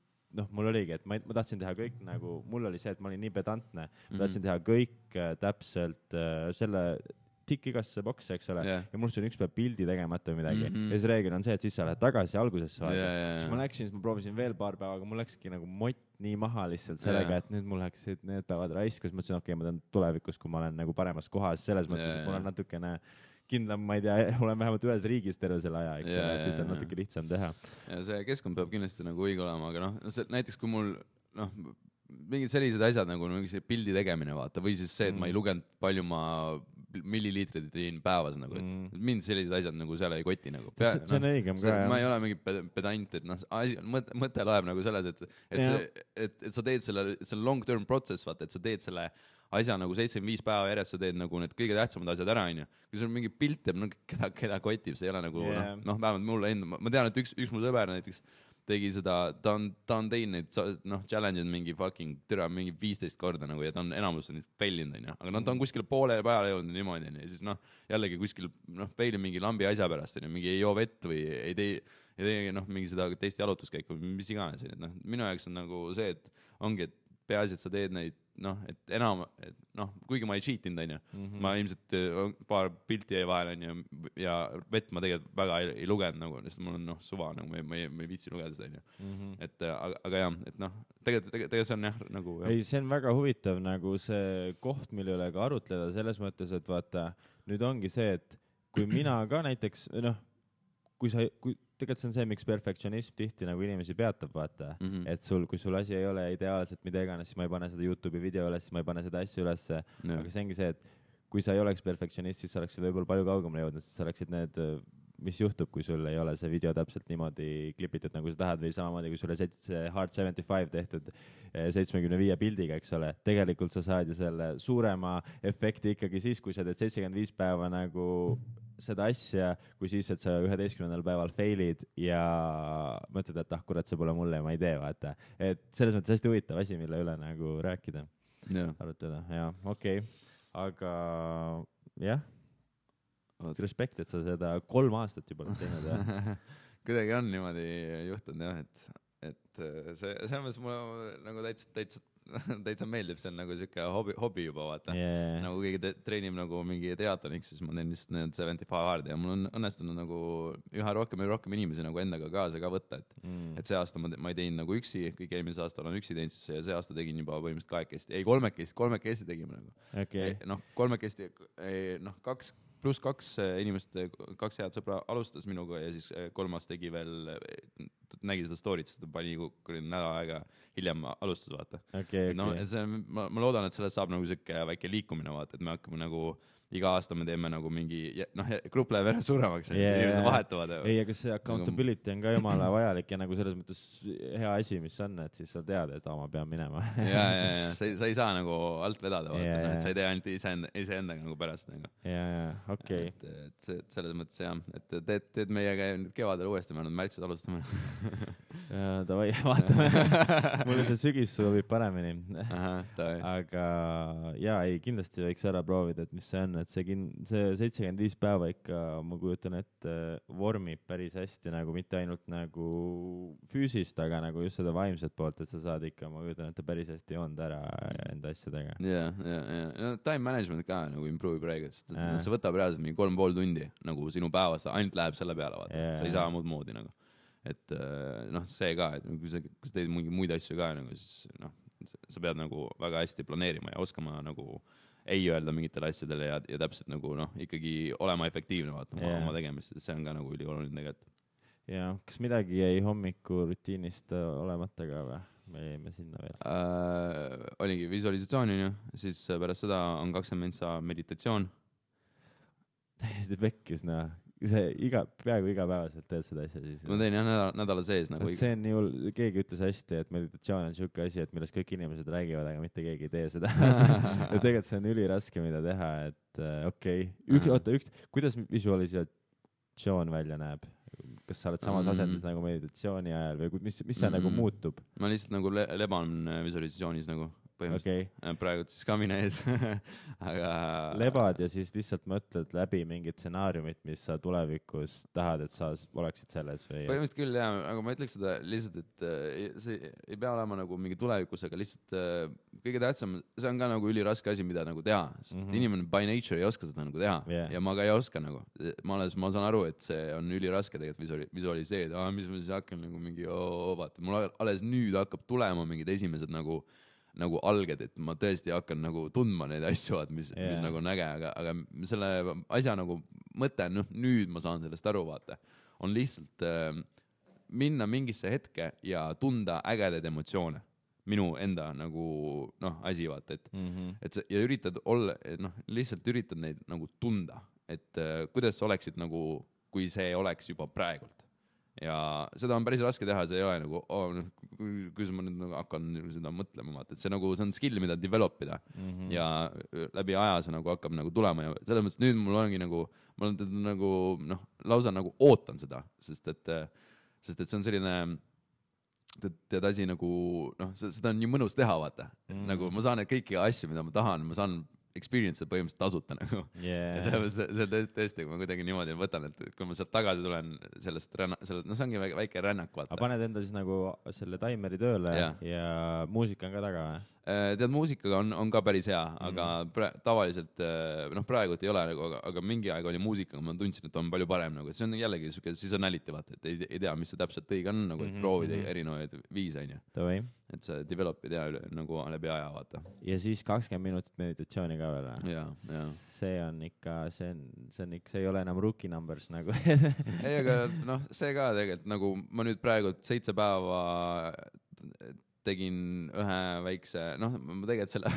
mul oligi, et ma tahtsin teha kõik nagu, mul oli see, et ma olin nii pedantne, ma tahtsin teha kõik täpselt selle tikk igasse boksi, eks ole, ja mul on üks päev pildi tegemata või midagi. Ja see reegel on see, et siis sa lähed tagasi algusesse aega. Siis ma läksin, siis ma proovisin veel paar päeva, aga mul läkski nagu mott nii maha lihtsalt sellega, et nüüd mul läksid need päevad raiskus. Ma mõtlesin, okei, ma tean tulevikus, kui ma olen nagu paremas kohas, selles mõttes, et mul on natukene kindlam, ma ei tea, olen vähemalt ühes riigis terve selle aja, eks ole, et siis on natuke lihtsam teha. Ja see keskkond peab kindlasti nagu õige olema, aga näiteks kui mul, mingid sellised asjad nagu mingi pildi tegemine, vaata, või siis see, et ma ei lugenud palju ma milliliitrid teen päevas, nagu, et mind sellised asjad nagu seal ei koti, nagu. See on õigem ka, jah. Ma ei ole mingi pedant, et mõte loeb nagu selles, et sa teed selle long-term process, vaata, et sa teed selle asja nagu 75 päeva järjest, sa teed nagu need kõige tähtsamad asjad ära, onju. Kui sul mingi pilt teeb, keda kotib, see ei ole nagu, vähemalt mulle enda, ma tean, et üks mu sõber näiteks tegi seda, ta on teinud neid, challenge'id mingi fucking türa mingi 15 korda nagu ja ta on enamus neid failinud, onju. Aga ta on kuskil poole peale jõudnud niimoodi, onju. Ja siis jällegi kuskil faili mingi lambi asja pärast, onju. Mingi ei joo vett või ei tee mingi seda teist jalutuskäiku, mis iganes. Minu jaoks on nagu see, et ongi, et peaasi, et sa teed neid, et enam, kuigi ma ei cheatinud, onju. Ma ilmselt paar pilti jäi vahel, onju, ja vett ma tegelikult väga ei lugenud, nagu, sest mul on suva, nagu ma ei viitsi lugeda seda, onju. Et, aga jah, et tegelikult see on jah, nagu. Ei, see on väga huvitav, nagu see koht, mille üle ka arutleda, selles mõttes, et vaata, nüüd ongi see, et kui mina ka näiteks, tegelikult see on see, miks perfektsionism tihti nagu inimesi peatab, vaata, et kui sul asi ei ole ideaalselt mida iganes, siis ma ei pane seda YouTube'i video üles, siis ma ei pane seda asja üles, aga see ongi see, et kui sa ei oleks perfektsionist, siis sa oleksid võib-olla palju kaugemale jõudnud, siis sa oleksid need, mis juhtub, kui sul ei ole see video täpselt niimoodi klipitud, nagu sa tahad, või samamoodi, kui sul on see Hard 75 tehtud 75 pildiga, eks ole, tegelikult sa saad ju selle suurema efekti ikkagi siis, kui sa teed 75 päeva nagu seda asja, kui siis, et sa 11. päeval failid ja mõtled, et kurat, see pole mulle ja ma ei tee, vaata. Et selles mõttes hästi huvitav asi, mille üle nagu rääkida, arutada. Ja, okei. Aga jah, respekt, et sa seda 3 aastat juba teinud. Kuidagi on niimoodi juhtunud, jah, et see mõttes mulle nagu täitsa meeldib, see on nagu siuke hobi juba, vaata. Nagu keegi treenib nagu mingi triatloniks, siis ma teen lihtsalt need 75 hard ja mul on õnnestunud nagu üha rohkem inimesi nagu endaga kaasa ka võtta, et see aasta ma ei teinud nagu üksi, kõik eelmise aasta olen üksi teinud, siis see aasta tegin juba põhimõtteliselt 2 kolmekesti tegime nagu. Kolmekesti, 2+ inimest, 2 head sõbra alustas minuga ja siis 3 tegi veel, nägi seda story't, seda pani nädal aega hiljem alustas, vaata. Et see, ma loodan, et sellest saab nagu siuke väike liikumine, vaata, et me hakkame nagu iga aasta me teeme nagu mingi, grupp läheb järjest suuremaks, inimesed vahetuvad. Ei, aga see accountability on ka jumala vajalik ja nagu selles mõttes hea asi, mis on, et siis sa tead, et ma pean minema. ja, sa ei saa nagu alt vedada, vaata, et sa ei tee ainult iseendaga nagu pärast. Okei. Et selles mõttes jah, et teed meiega nüüd kevadel uuesti, me oleme märtsis alustame. Davai, vaatame. Mulle see sügis sobib paremini. Aga jaa, ei, kindlasti võiks ära proovida, et mis see on, et see 75 päeva ikka, ma kujutan ette, vormib päris hästi, nagu mitte ainult nagu füüsist, aga nagu just seda vaimset poolt, et sa saad ikka, ma kujutan ette, päris hästi joond ära enda asjadega. Ja. Time management ka nagu improve praegu, sest see võtab reaalselt mingi 3,5 tundi nagu sinu päevast, ainult läheb selle peale, vaata. Sa ei saa muud moodi nagu. Et see ka, et kui sa teed mingi muid asju ka, nagu, siis sa pead nagu väga hästi planeerima ja oskama nagu ei öelda mingitele asjadele ja täpselt nagu noh, ikkagi olema efektiivne vaata oma tegemist, see on ka nagu ülioluline tegelikult. Ja kas midagi jäi hommikurutiinist olemata ka või? Me jäime sinna veel. Oligi visualisatsioon, on ju, siis pärast seda on 20 mintsa meditatsioon. Täiesti pekkis, noh. Peaaegu igapäevaselt teed seda asja siis. Ma teen jah nädala sees nagu. See on nii keegi ütles hästi, et meditatsioon on siuke asi, et millest kõik inimesed räägivad, aga mitte keegi ei tee seda. Ja tegelikult see on üliraske, mida teha, et okei. Kuidas visualisatsioon välja näeb? Kas sa oled samas asendis nagu meditatsiooni ajal või mis see nagu muutub? Ma lihtsalt nagu leban visualisatsioonis nagu. Praegu siis ka mine ees. Aga lebad ja siis lihtsalt mõtled läbi mingid stsenaariumid, mis sa tulevikus tahad, et sa oleksid selles või? Põhimõtteliselt küll jah, aga ma ütleks seda lihtsalt, et see ei pea olema nagu mingi tulevikus, aga lihtsalt kõige tähtsam, see on ka nagu üliraske asi, mida nagu teha, sest inimene by nature ei oska seda nagu teha ja ma ka ei oska nagu. Ma saan aru, et see on üliraske tegelikult visualiseerida, mis ma siis hakkan nagu mingi vaata, mul alles nüüd hakkab tulema mingid esimesed nagu alged, et ma tõesti hakkan nagu tundma neid asju, mis nagu on äge, aga selle asja nagu mõte, nüüd ma saan sellest aru, vaata, on lihtsalt minna mingisse hetke ja tunda ägedaid emotsioone. Minu enda nagu, asi, vaata, et ja üritad olla, lihtsalt üritad neid nagu tunda, et kuidas sa oleksid nagu, kui see oleks juba praegult. Ja seda on päris raske teha, see ei ole nagu, kuidas ma nüüd nagu hakkan seda mõtlema, vaata, et see on skill, mida developida ja läbi aja see nagu hakkab nagu tulema ja selles mõttes nüüd mul ongi nagu, ma olen nagu, lausa nagu ootan seda, sest et see on selline, tead asi nagu, seda on nii mõnus teha, vaata, nagu ma saan kõiki asju, mida ma tahan, ma saan experience põhimõtteliselt tasuta nagu. Ja see tõesti, kui ma kuidagi niimoodi võtan, et kui ma sealt tagasi tulen sellest, see ongi väike rännak, vaata. Aga paned enda siis nagu selle taimeri tööle ja muusika on ka taga või? Tead, muusikaga on ka päris hea, aga tavaliselt, praegu ei ole, aga mingi aeg oli muusikaga, ma tundsin, et on palju parem, nagu, et see on jällegi siuke seasonality, vaata, et ei tea, mis see täpselt õige on, nagu, et proovida erinevaid viise, on ju. Et see developid nagu läbi aja, vaata. Ja siis 20 minutit meditatsiooni ka veel. Ja. See on ikka, see ei ole enam rookie numbers nagu. Ei, aga see ka tegelikult, nagu ma nüüd praegu 7 päeva tegin ühe väikse, ma tegelikult selle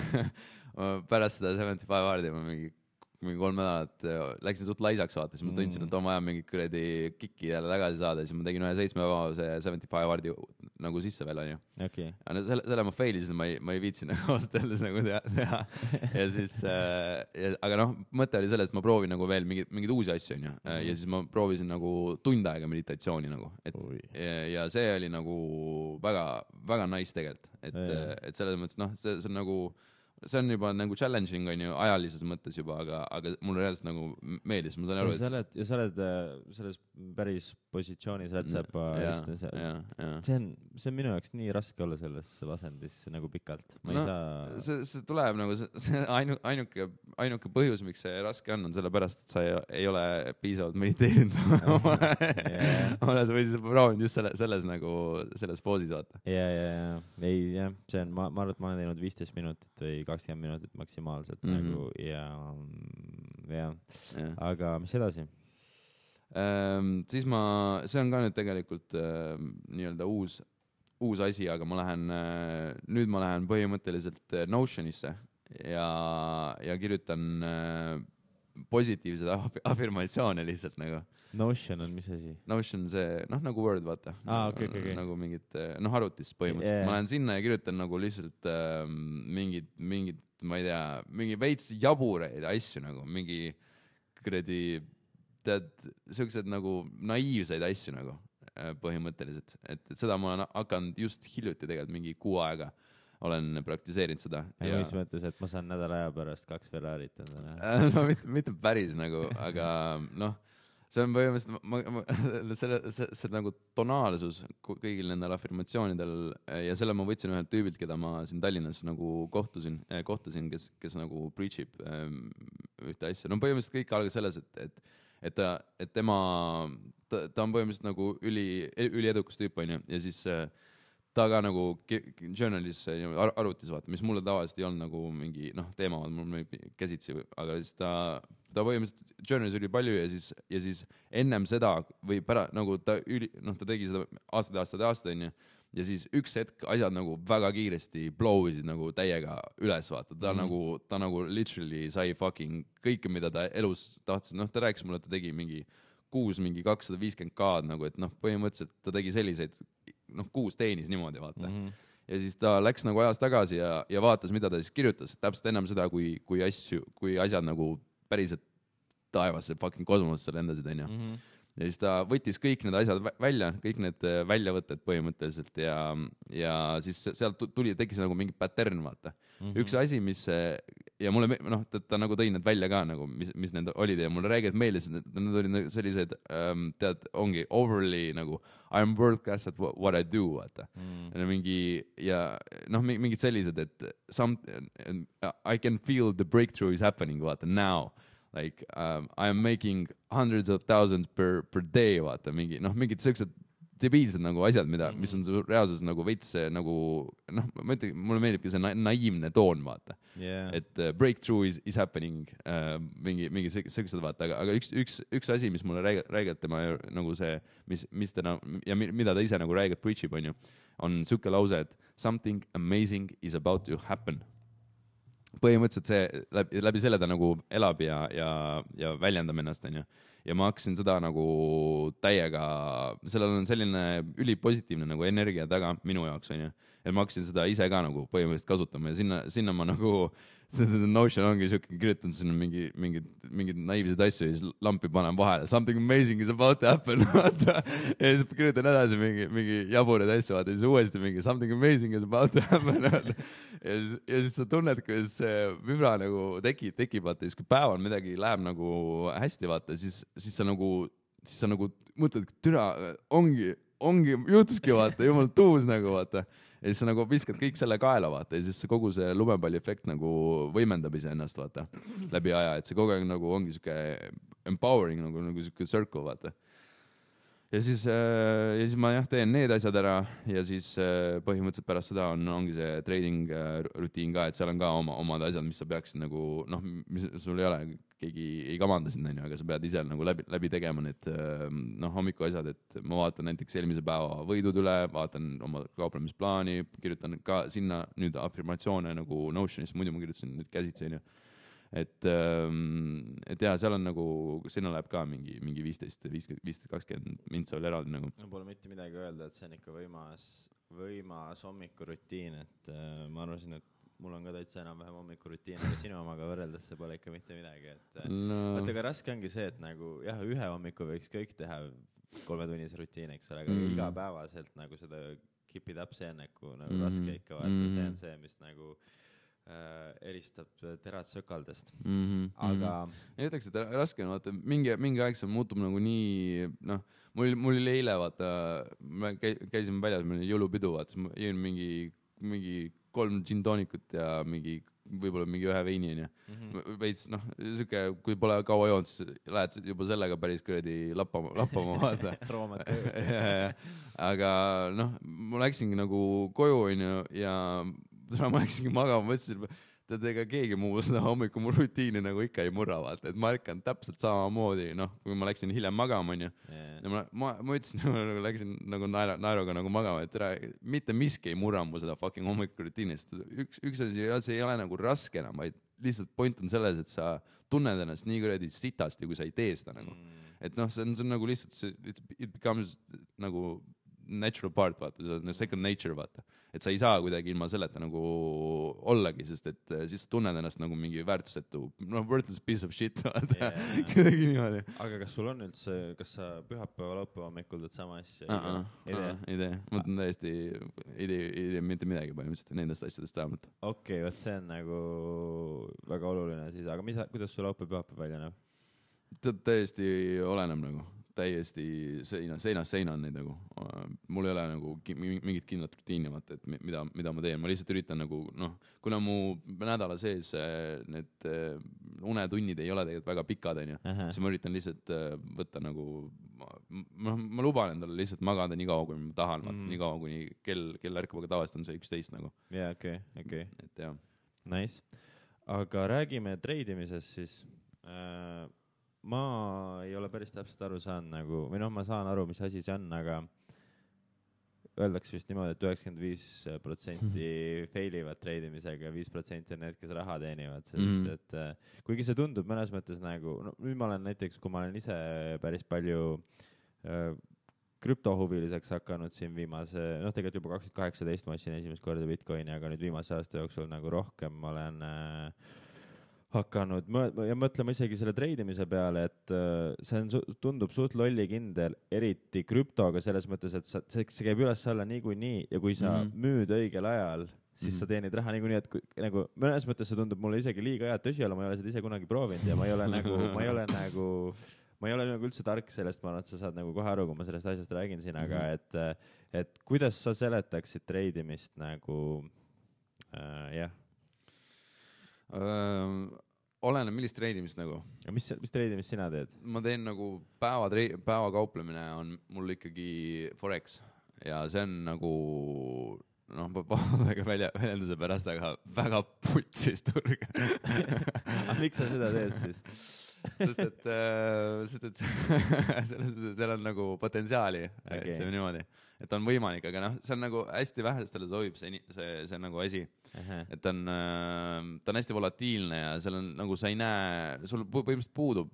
pärast seda 75 Hardi ma mingi 3 nädalat läksin suht laisaks, vaata, siis ma tundsin, et on vaja mingit kuradi kikki jälle tagasi saada, siis ma tegin ühe 7 päevase 75 Hardi nagu sisse veel, on ju. Okay. Selle ma failisin, ma ei viitsin nagu ausalt öeldes nagu teha. Ja siis, aga mõte oli selles, et ma proovin nagu veel mingeid uusi asju, on ju. Ja siis ma proovisin nagu tund aega meditatsiooni nagu. Ja see oli nagu väga, väga nice tegelikult. Et selles mõttes, see on nagu, see on juba nagu challenging, on ju, ajalises mõttes juba, aga mulle reaalselt nagu meeldis, ma saan aru, ja sa oled selles päris positsioonis rätsepa see on minu jaoks nii raske olla selles asendis nagu pikalt. Ma ei saa... See tuleb nagu, see ainuke põhjus, miks see raske on sellepärast, et sa ei ole piisavalt mediteerinud. Või siis proovinud just selles nagu, selles poosis, vaata. Ei, see on, ma arvan, et ma olen teinud 15 minutit või 20 minutit maksimaalselt nagu ja aga mis edasi? Siis see on ka nüüd tegelikult nii-öelda uus asi, aga nüüd ma lähen põhimõtteliselt Notionisse ja kirjutan positiivseid afirmatsioone lihtsalt nagu. Notion on mis asi? Notion see, nagu Word, vaata. Okay. Nagu mingid, arvutis põhimõtteliselt. Ma lähen sinna ja kirjutan nagu lihtsalt mingid, ma ei tea, mingi veits jabureid asju nagu, mingi kuradi, tead, sellised nagu naiivseid asju nagu põhimõtteliselt. Et seda ma olen hakanud just hiljuti tegelikult mingi 6 aega olen praktiseerinud seda. Ja mis mõttes, et ma saan nädala aja pärast 2 Ferrarit endale? Mitte päris nagu, aga see on põhimõtteliselt, see nagu tonaalsus kõigil nendel afirmatsioonidel ja selle ma võtsin ühelt tüübilt, keda ma siin Tallinnas nagu kohtasin, kes nagu preachib ühte asja. Põhimõtteliselt kõik algas selles, et ta on põhimõtteliselt nagu üliedukas tüüp, on ju, ja siis ta ka nagu journalis arvutis vaata, mis mulle tavaliselt ei olnud nagu mingi teema, mul käsitsi, aga siis ta põhimõtteliselt journalis oli palju ja siis ennem seda või nagu ta tegi seda aastaid onju. Ja siis üks hetk asjad nagu väga kiiresti blowisid nagu täiega üles, vaata. Ta nagu literally sai fucking kõike, mida ta elus tahtis. Ta rääkis mulle, et ta tegi kuus 250K nagu, et põhimõtteliselt ta tegi selliseid, kuus teenis niimoodi, vaata. Ja siis ta läks nagu ajas tagasi ja vaatas, mida ta siis kirjutas. Täpselt ennem seda, kui asjad nagu päriselt taevasse fucking kosmosesse lendasid, onju. Ja siis ta võttis kõik need asjad välja, kõik need väljavõtted põhimõtteliselt ja siis sealt tekkis nagu mingi pattern, vaata. Üks asi, mis, ja mulle, ta nagu tõi need välja ka, nagu, mis need olid ja mulle räägid meeles, need olid sellised, tead, ongi overly nagu I am world class at what I do, vaata. Mingid sellised, et I can feel the breakthrough is happening, vaata, now. Like I am making hundreds of thousands per day, vaata, mingid sellised debiilsed nagu asjad, mis on reaalsus nagu veits nagu, ma ütlen, mulle meeldibki see naiivne toon, vaata. Et breakthrough is happening, mingi sellised, vaata, aga üks asi, mis mulle räägib tema nagu see, mis ta ja mida ta ise nagu räägib, preachib, on siuke lause, et something amazing is about to happen. Põhimõtteliselt see läbi selle ta nagu elab ja väljendab ennast, onju. Ja ma hakkasin seda nagu täiega, sellel on selline ülipositiivne nagu energia taga minu jaoks, onju. Et ma hakkasin seda ise ka nagu põhimõtteliselt kasutama ja sinna ma nagu Notion ongi siuke, kirjutan sinna mingid naiivsed asju ja siis lampi panen vahele. Something amazing is about to happen. Ja siis kirjutan edasi mingi jabureid asju, vaata. Ja siis uuesti mingi something amazing is about to happen. Ja siis sa tunned, kuidas see vibra nagu tekib, vaata. Ja siis kui päeval midagi läheb nagu hästi, vaata, siis sa nagu mõtled, türa, ongi, juhtuski, vaata, jumal tuus nagu, vaata. Ja siis sa nagu viskad kõik selle kaela, vaata, ja siis kogu see lumepalli efekt nagu võimendab ise ennast, vaata, läbi aja, et see kogu aeg nagu ongi siuke empowering, nagu siuke circle, vaata. Ja siis ma teen need asjad ära ja siis põhimõtteliselt pärast seda ongi see trading rutiin ka, et seal on ka omad asjad, mis sa peaksid nagu, mis sul ei ole, keegi ei kamanda sind, aga sa pead ise nagu läbi tegema need hommiku asjad, et ma vaatan näiteks eelmise päeva võidud üle, vaatan oma kauplemisplaani, kirjutan ka sinna nüüd afirmatsioone nagu Notionist, muidu ma kirjutasin nüüd käsitsi, et jah, seal on nagu, sinna läheb ka mingi 15-20 mintsa veel eraldi nagu. No pole mitte midagi öelda, et see on ikka võimas hommikurutiin, et ma arvasin, et mul on ka täitsa enam-vähem hommikurutiin, aga sinu omaga võrreldes see pole ikka mitte midagi, et vaata, aga raske ongi see, et nagu jah, ühe hommiku võiks kõik teha 3-tunnise rutiin, eks ole, aga igapäevaselt nagu seda keep it up, see on nagu raske ikka vaata, see on see, mis nagu eristab terad sökaldest. Aga ei ütleks, et raske on, vaata, mingi aeg see muutub nagu nii, mul oli eile, vaata, me käisime väljas, meil oli jõulupidu, vaata, ma jõin mingi 3 gin-toonikut ja võib-olla mingi 1 veini, veits, siuke, kui pole kaua joonud, siis lähed juba sellega päris kuradi lappama, vaata. Aga ma läksingi nagu koju, ja ma läksingi magama, mõtlesin, et ega keegi muu seda hommiku mu rutiini nagu ikka ei murra, vaata, et ma ärkan täpselt samamoodi, kui ma läksin hiljem magama, ma ütlesin, läksin nagu naeruga nagu magama, et mitte miski ei murra mu seda fucking hommiku rutiinist. Üks asi ei ole nagu raske enam, vaid lihtsalt point on selles, et sa tunned ennast nii kuradi sitasti, kui sa ei tee seda nagu. Et see on nagu lihtsalt, it becomes nagu natural part, vaata, see on second nature, vaata. Et sa ei saa kuidagi ilma selleta nagu ollagi, sest et siis sa tunned ennast nagu mingi väärtusetu, worthless piece of shit, vaata. Kuidagi niimoodi. Aga kas sul on üldse, kas sa pühapäeva laupäeva hommikul teed sama asja? Ei tee. Ma mõtlen täiesti, ei tee mitte midagi põhimõtteliselt nendest asjadest vähemalt. Okei, võt see on nagu väga oluline siis, aga kuidas sul laupäeva pühapäeva välja näeb? Täiesti oleneb nagu. täiesti seinast seina on neid nagu. Mul ei ole nagu mingit kindlat rutiini, vaata, et mida ma teen. Ma lihtsalt üritan nagu, kuna mu nädala sees need unetunnid ei ole tegelikult väga pikad, siis ma üritan lihtsalt võtta nagu, ma luban endale lihtsalt magada nii kaua, kui ma tahan, nii kaua, kuni kell ärkab, aga tavaliselt on see 11 nagu. Jaa, okei. Et jah. Nice. Aga räägime treidimisest siis. Ma ei ole päris täpselt aru saanud nagu, või ma saan aru, mis asi see on, aga öeldakse vist niimoodi, et 95% failivad treidimisega ja 5% on need, kes raha teenivad, sest et kuigi see tundub mõnes mõttes nagu, nüüd ma olen näiteks, kui ma olen ise päris palju krüptohuviliseks hakanud siin viimase, tegelikult juba 2018 ma ostsin esimest korda Bitcoini, aga nüüd viimase aasta jooksul nagu rohkem ma olen hakanud ja mõtlema isegi selle treidimise peale, et see tundub suht lollikindel, eriti krüptoga selles mõttes, et see käib üles alla niikuinii ja kui sa müüd õigel ajal, siis sa teenid raha niikuinii, et nagu mõnes mõttes see tundub mulle isegi liiga hea tõsiolu, ma ei ole seda ise kunagi proovinud ja ma ei ole üldse tark sellest, ma arvan, et sa saad nagu kohe aru, kui ma sellest asjast räägin siin, aga et kuidas sa seletaksid treidimist nagu, jah. Oleneb millist treidimist nagu. Ja mis treidimist sina teed? Ma teen nagu päeva kauplemine on mul ikkagi Forex ja see on nagu, väljenduse pärast, aga väga putsis turg. Miks sa seda teed siis? Sest et seal on nagu potentsiaali, ütleme niimoodi, et on võimalik, aga see on nagu hästi vähestele sobib see on nagu asi, et ta on hästi volatiilne ja seal on nagu sa ei näe, sul põhimõtteliselt puudub,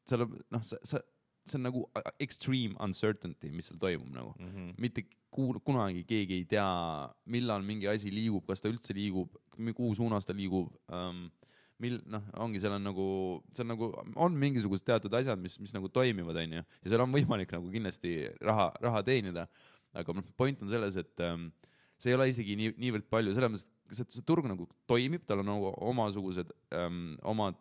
see on nagu extreme uncertainty, mis seal toimub nagu, mitte kunagi keegi ei tea, millal mingi asi liigub, kas ta üldse liigub, kuhu suunas ta liigub, ongi, seal on mingisugused teatud asjad, mis nagu toimivad, ja seal on võimalik nagu kindlasti raha teenida, aga point on selles, et see ei ole isegi niivõrd palju, selles mõttes, et see turg nagu toimib, tal on nagu omasugused omad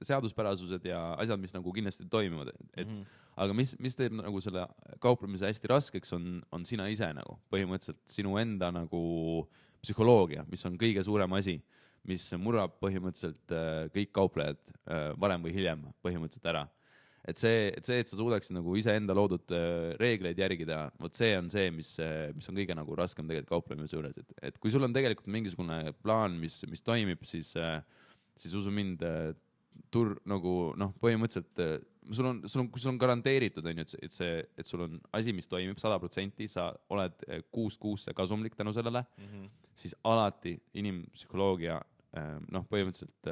seaduspärasused ja asjad, mis nagu kindlasti toimivad, aga mis teeb nagu selle kauplemise hästi raskeks on sina ise nagu, põhimõtteliselt sinu enda nagu psühholoogia, mis on kõige suurem asi, mis murrab põhimõtteliselt kõik kauplejad varem või hiljem põhimõtteliselt ära. Et sa suudaksid nagu iseenda loodud reegleid järgida, vot see on see, mis on kõige nagu raskem tegelikult kauplemise juures. Et kui sul on tegelikult mingisugune plaan, mis toimib, siis usu mind nagu põhimõtteliselt kui sul on garanteeritud, et sul on asi, mis toimib 100%, sa oled kuust kasumlik tänu sellele, siis alati inimpsühholoogia põhimõtteliselt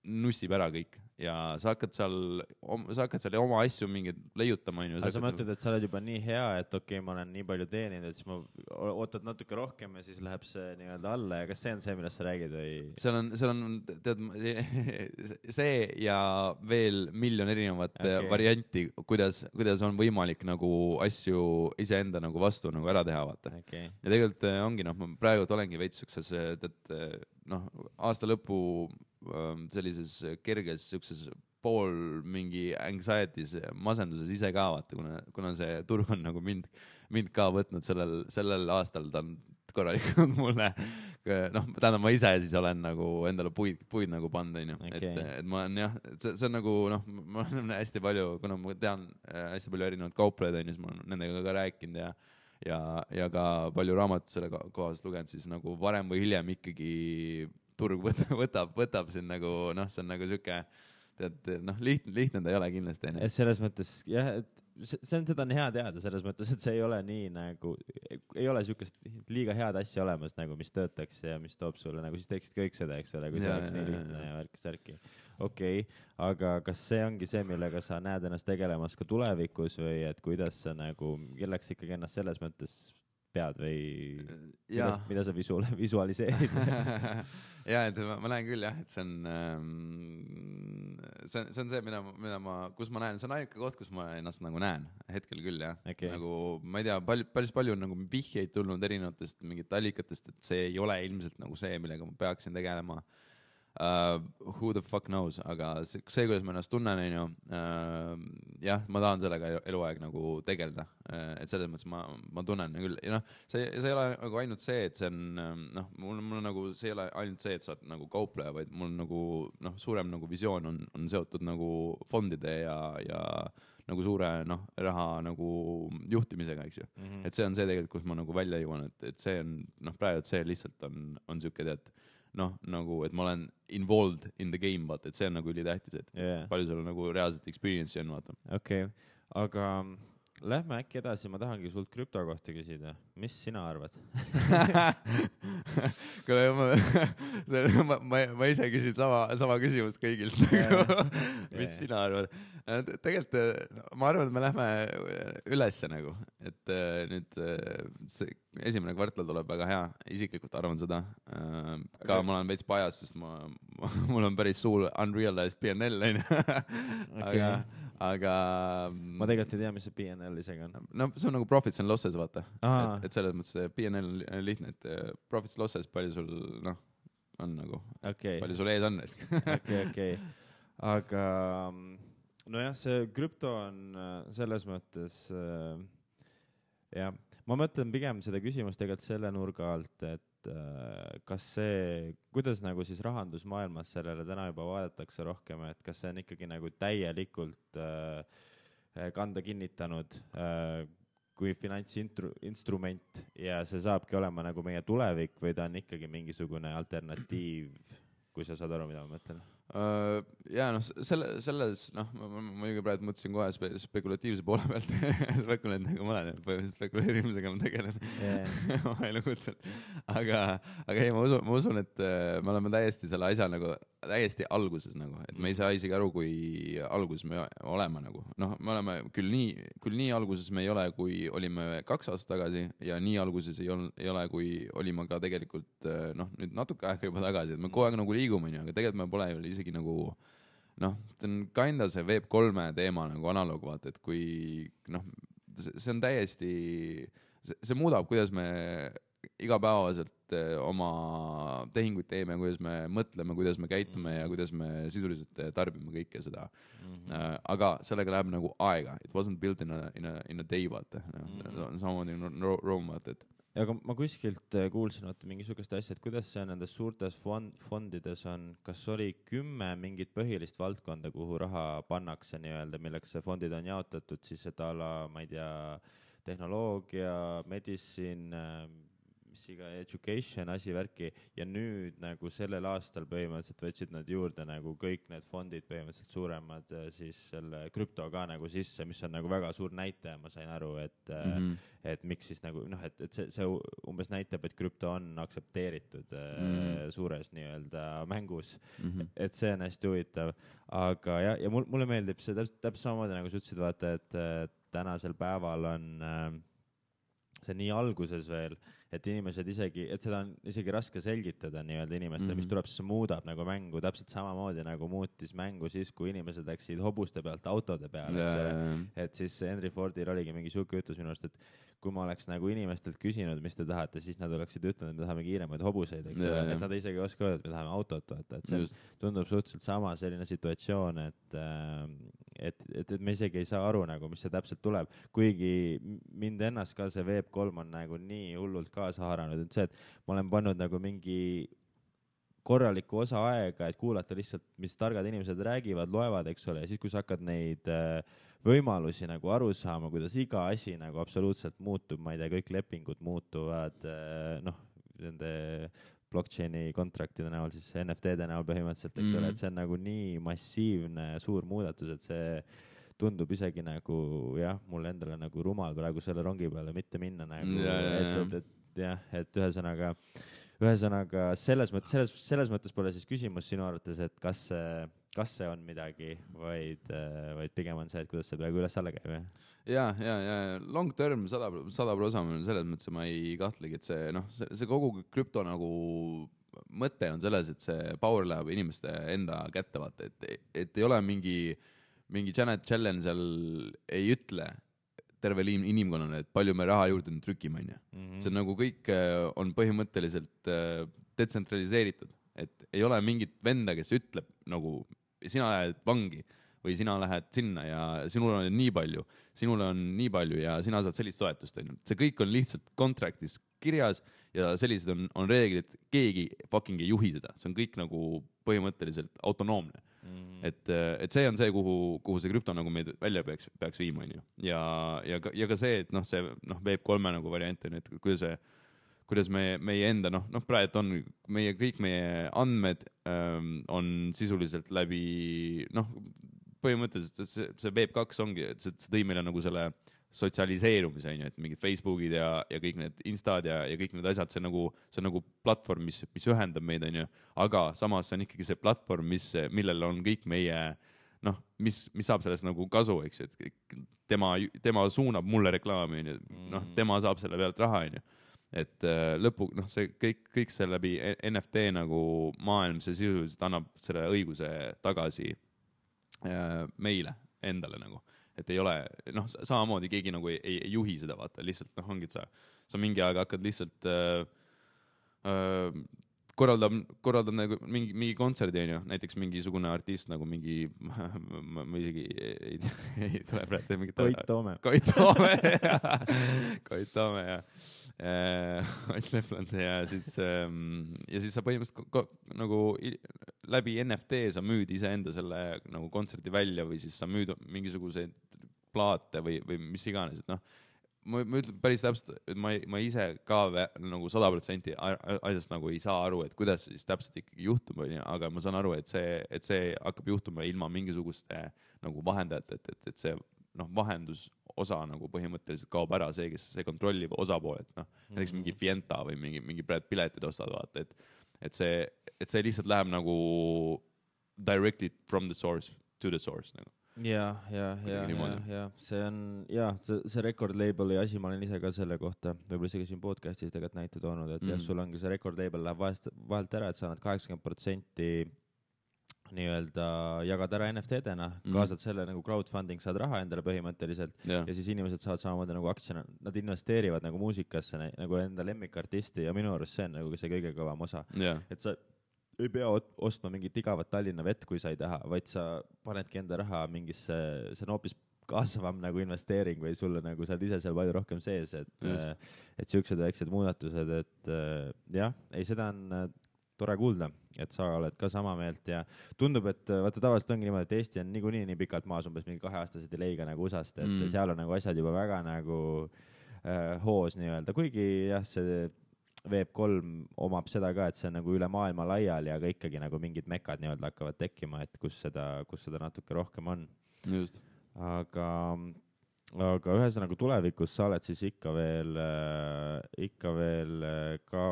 nussib ära kõik ja sa hakkad seal oma asju mingid leiutama. Aga sa mõtled, et sa oled juba nii hea, et okei, ma olen nii palju teeninud, et siis ma ootad natuke rohkem ja siis läheb see nii-öelda alla ja kas see on see, millest sa räägid või? Seal on tead, see ja veel miljon erinevat varianti, kuidas on võimalik nagu asju iseenda nagu vastu nagu ära teha, vaata. Ja tegelikult ongi, ma praegu olengi veits sukses, et aasta lõpu sellises kerges pool mingi anxiety's, masenduses ise ka, vaata, kuna see turg on nagu mind ka võtnud sellel aastal, ta on korralikult mulle, tähendab ma ise siis olen nagu endale puid nagu pannud, et ma olen jah, see on nagu, ma olen hästi palju, kuna ma tean hästi palju erinevad kauplejaid, siis ma olen nendega ka rääkinud ja ka palju raamatut selle kohast lugenud, siis nagu varem või hiljem ikkagi turg võtab siin nagu, see on nagu siuke, lihtne ta ei ole kindlasti. Selles mõttes, jah, seda on hea teada, selles mõttes, et see ei ole nii nagu, ei ole siukest liiga head asja olemas, nagu mis töötaks ja mis toob sulle, nagu siis teeksid kõik seda, eks ole, kui see oleks nii lihtne ja värki. Okei, aga kas see ongi see, millega sa näed ennast tegelemas ka tulevikus või et kuidas sa nagu, kelleks ikkagi ennast selles mõttes pead või mida sa visualiseerid? Ja, et ma näen küll jah, et see on see, kus ma näen, see on ainuke koht, kus ma ennast nagu näen hetkel küll jah. Nagu, ma ei tea, päris palju on nagu vihjeid tulnud erinevatest mingit allikatest, et see ei ole ilmselt nagu see, millega ma peaksin tegelema. Who the fuck knows, aga see, kuidas ma ennast tunnen, on ju, jah, ma tahan sellega eluaeg nagu tegeleda, et selles mõttes ma tunnen küll, ja noh, see ei ole nagu ainult see, et see on, noh, mul nagu, see ei ole ainult see, et sa oled nagu kaupleja, vaid mul nagu, noh, suurem nagu visioon on seotud nagu fondide ja nagu suure, noh, raha nagu juhtimisega, eks ju. Et see on see tegelikult, kus ma nagu välja jõuan, et see on, noh, praegu see lihtsalt on siuke, tead, noh, nagu, et ma olen involved in the game, vaata, et see on nagu ülitähtis, et palju sul nagu reaalselt experience'i on, vaata. Okei, aga lähme äkki edasi, ma tahangi sult krüpto kohta küsida. Mis sina arvad? ma ise küsin sama küsimust kõigilt. Mis sina arvad? Tegelikult ma arvan, et me lähme ülesse nagu, et nüüd see esimene kvartal tuleb väga hea, isiklikult arvan seda. Ka ma olen veits pajas, sest mul on päris suur unrealized PNL, aga ma tegelikult ei tea, mis see PNL isegi on. No see on nagu profits and losses, vaata. Et selles mõttes PNL on lihtne, et profits and losses, palju sul, noh, on nagu, palju sul ees on. Okei. Aga nojah, see krüpto on selles mõttes, jah, ma mõtlen pigem seda küsimust tegelikult selle nurga alt, et kas see, kuidas nagu siis rahandusmaailmas sellele täna juba vaadatakse rohkem, et kas see on ikkagi nagu täielikult kanda kinnitanud kui finantsinstrument ja see saabki olema nagu meie tulevik või ta on ikkagi mingisugune alternatiiv, kui sa saad aru, mida ma mõtlen? Ja noh, selles, noh, ma juba praegu mõtlesin kohe spekulatiivse poole pealt, spekuleerimisega ma olen, spekuleerimisega ma tegelen oma elukutselt. Aga ei, ma usun, et me oleme täiesti selle asja nagu, täiesti alguses nagu, et me ei saa isegi aru, kui alguses me oleme nagu. Noh, me oleme küll nii alguses me ei ole, kui olime 2 aastat tagasi ja nii alguses ei ole, kui olime ka tegelikult, noh, nüüd natuke aega juba tagasi, et me kogu aeg nagu liigume, aga tegelikult me pole ju isegi nagu, noh, see on kinda see Web3 teema nagu analoog, vaata, et kui, noh, see on täiesti, see muudab, kuidas me igapäevaselt oma tehinguid teeme, kuidas me mõtleme, kuidas me käitume ja kuidas me sisuliselt tarbime kõike seda. Aga sellega läheb nagu aega. It wasn't built in a day, vaata. Samamoodi Rome, vaata, et aga ma kuskilt kuulsin mingisugust asja, et kuidas see nendes suurtes fondides on, kas oli 10 mingit põhilist valdkonda, kuhu raha pannakse nii-öelda, milleks see fondid on jaotatud, siis et ala, ma ei tea, tehnoloogia, medicine, mis iga education, asi värki ja nüüd nagu sellel aastal põhimõtteliselt võtsid nad juurde nagu kõik need fondid põhimõtteliselt suuremad siis selle krüpto ka nagu sisse, mis on nagu väga suur näitaja, ma sain aru, et miks siis nagu, noh, et see umbes näitab, et krüpto on aktsepteeritud suures nii-öelda mängus, et see on hästi huvitav, aga ja mulle meeldib see täpselt samamoodi nagu sa ütlesid, vaata, et tänasel päeval on see nii alguses veel, et inimesed isegi, et seda on isegi raske selgitada nii-öelda inimestele, mis tuleb, siis muudab nagu mängu täpselt samamoodi nagu muutis mängu siis, kui inimesed läksid hobuste pealt autode peale, et siis Henry Fordil oligi mingi siuke ütlus minu arust, et kui ma oleks nagu inimestelt küsinud, mis te tahate, siis nad oleksid ütelnud, et me tahame kiiremaid hobuseid, eks ole, et nad isegi oska öelda, et me tahame autot, vaata, et see tundub suhteliselt sama selline situatsioon, et me isegi ei saa aru nagu, mis see täpselt tuleb, kuigi mind ennast ka see Web3 on nagu nii hullult kaasa haaranud, et see, et ma olen pannud nagu mingi korraliku osa aega, et kuulata lihtsalt, mis targad inimesed räägivad, loevad, eks ole, ja siis, kui sa hakkad neid võimalusi nagu aru saama, kuidas iga asi nagu absoluutselt muutub, ma ei tea, kõik lepingud muutuvad, noh, nende blockchaini kontraktide näol, siis NFT-de näol põhimõtteliselt, eks ole, et see on nagu nii massiivne suur muudatus, et see tundub isegi nagu, jah, mulle endale nagu rumal praegu selle rongi peale mitte minna nagu, et ühesõnaga selles mõttes pole siis küsimus sinu arvates, et kas see on midagi, vaid pigem on see, et kuidas see praegu üles-alla käib, jah? Ja long term 100% selles mõttes ma ei kahtlegi, et see kogu krüpto nagu mõte on selles, et see power läheb inimeste enda kätte, vaata, et ei ole mingi Janet Yellen seal ei ütle tervele inimkonnale, et palju me raha juurde trükime, on ju. See on nagu kõik on põhimõtteliselt detsentraliseeritud, et ei ole mingit venda, kes ütleb nagu, sina lähed vangi või sina lähed sinna ja sinul on nii palju ja sina saad sellist toetust, on ju. See kõik on lihtsalt contractis kirjas ja sellised on reeglid, keegi fucking ei juhi seda, see on kõik nagu põhimõtteliselt autonoomne. Et see on see, kuhu see krüpto nagu meid välja peaks viima, on ju. Ja ka see, et see Web3 nagu variant on, et kuidas meie enda, praegu on kõik meie andmed on sisuliselt läbi, põhimõtteliselt see Web2 ongi, et see tõi meile nagu selle sotsialiseerumise, on ju, et mingid Facebookid ja kõik need Instad ja kõik need asjad, see on nagu platvorm, mis ühendab meid, on ju, aga samas see on ikkagi see platvorm, millel on kõik meie, mis saab sellest nagu kasu, eks, et tema suunab mulle reklaami, on ju, tema saab selle pealt raha, on ju. Et lõpu, see kõik see läbi NFT nagu maailm, see sisuliselt annab selle õiguse tagasi meile endale nagu. Et ei ole, samamoodi keegi nagu ei juhi seda, vaata, lihtsalt ongi, et sa mingi aeg hakkad lihtsalt korraldab nagu mingi kontserdi, on ju, näiteks mingisugune artist nagu mingi, ma isegi ei tule praegu mingit Koit Toome, ja Ott Lepland ja siis sa põhimõtteliselt nagu läbi NFT sa müüd iseenda selle nagu kontserdi välja või siis sa müüd mingisuguseid plaate või mis iganes, et ma ütlen päris täpselt, et ma ise ka nagu 100% asjast nagu ei saa aru, et kuidas see siis täpselt ikkagi juhtub, aga ma saan aru, et see hakkab juhtuma ilma mingisuguste nagu vahendajate, et see vahendusosa nagu põhimõtteliselt kaob ära, see kontrollib osapool, et näiteks mingi Fienta või mingi piletid ostad, vaata, et see lihtsalt läheb nagu directly from the source to the source nagu. Ja see on, see record label'i asi, ma olen ise ka selle kohta, võib-olla isegi siin podcastis tegelikult näite toonud, et sul ongi see record label läheb vahelt ära, et sa annad 80% nii-öelda jagad ära NFT-dena, kaasad selle nagu crowdfunding, saad raha endale põhimõtteliselt ja siis inimesed saavad samamoodi nagu aktsiana, nad investeerivad nagu muusikasse nagu enda lemmikartisti ja minu arust see on nagu see kõige kõvam osa, et sa ei pea ostma mingit igavat Tallinna vett, kui sa ei taha, vaid sa panedki enda raha mingisse, see on hoopis kasvavam nagu investeering või sulle nagu saad ise seal palju rohkem sees, et siuksed väiksed muudatused, et seda on tore kuulda, et sa oled ka sama meelt ja tundub, et vaata tavaliselt ongi niimoodi, et Eesti on niikuinii nii pikalt maas umbes mingi 2-aastase delay'ga nagu USA-st, et seal on nagu asjad juba väga nagu hoos nii-öelda, kuigi jah, see Web3 omab seda ka, et see on nagu üle maailma laial ja ka ikkagi nagu mingid mekad nii-öelda hakkavad tekkima, et kus seda natuke rohkem on. Just. Aga ühesõnaga tulevikus sa oled siis ikka veel ka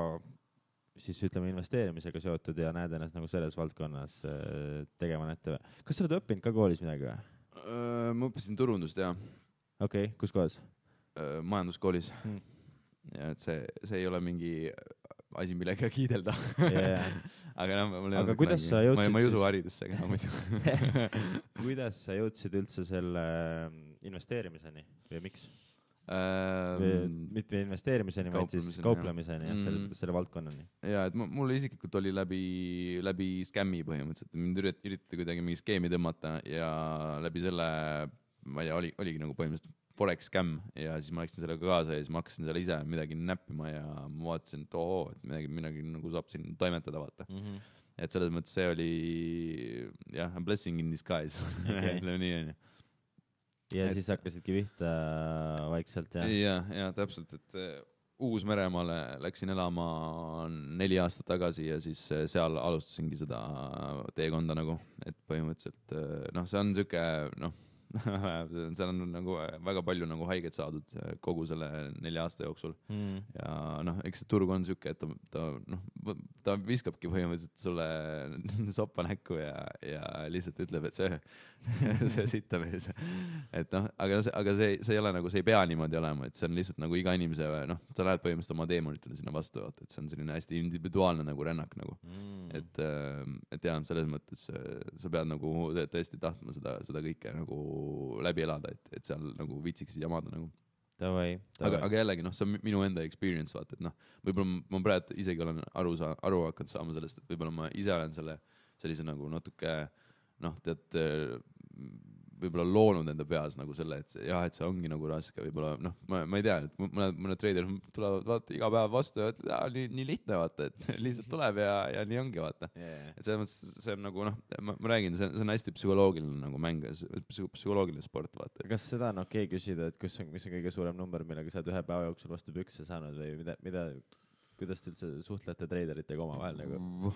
siis ütleme investeerimisega seotud ja näed ennast nagu selles valdkonnas tegema ette. Kas sa oled õppinud ka koolis midagi või? Ma õppisin turundust, jah. Okei, kus kohas? Majanduskoolis. Ja et see ei ole mingi asi, millega kiidelda. Aga kuidas sa jõudsid ma ei usu haridusse ka muidu. Kuidas sa jõudsid üldse selle investeerimiseni või miks? Mitte investeerimiseni, vaid siis kauplemiseni, selle valdkonnani. Ja, et mulle isiklikult oli läbi skämmi põhimõtteliselt. Mind üritati kuidagi mingi skeemi tõmmata ja läbi selle, ma ei tea, oligi nagu põhimõtteliselt Forex scam ja siis ma läksin sellega kaasa ja siis ma hakkasin selle ise midagi näppima ja ma vaatasin, et midagi nagu saab siin toimetada, vaata. Et selles mõttes see oli a blessing in disguise. Ütleme nii, on ju. Ja siis hakkasidki vihta vaikselt, jah? Ja, täpselt, et Uus-Meremaale läksin elama 4 aastat tagasi ja siis seal alustasingi seda teekonda nagu, et põhimõtteliselt, see on siuke, seal on nagu väga palju nagu haiget saadud kogu selle 4 aasta jooksul. Ja eks see turg on siuke, et ta viskabki põhimõtteliselt sulle soppa näkku ja lihtsalt ütleb, et see sitta mees. Et aga see ei ole nagu, see ei pea niimoodi olema, et see on lihtsalt nagu iga inimese, sa lähed põhimõtteliselt oma deemonitele sinna vastu, et see on selline hästi individuaalne nagu rännak nagu. Et jah, selles mõttes sa pead nagu tõesti tahtma seda kõike nagu läbi elada, et seal nagu viitsiksid jamada nagu. aga jällegi, noh, see on minu enda experience, vaata, et noh, võib-olla ma praegu isegi olen aru hakanud saama sellest, et võib-olla ma ise olen sellise nagu natuke, noh, tead, võib-olla loonud enda peas nagu selle, et jah, et see ongi nagu raske, võib-olla, noh, ma ei tea, et mõned treiderid tulevad, vaata, iga päev vastu ja ütlevad, nii lihtne, vaata, et lihtsalt tuleb ja nii ongi, vaata. Et selles mõttes see on nagu, noh, ma räägin, see on hästi psühholoogiline nagu mäng, psühholoogiline sport, vaata. Kas seda on okei küsida, et mis on kõige suurem number, millega sa oled ühe päeva jooksul vastu pükse saanud või kuidas te üldse suhtlete treideritega omavahel nagu?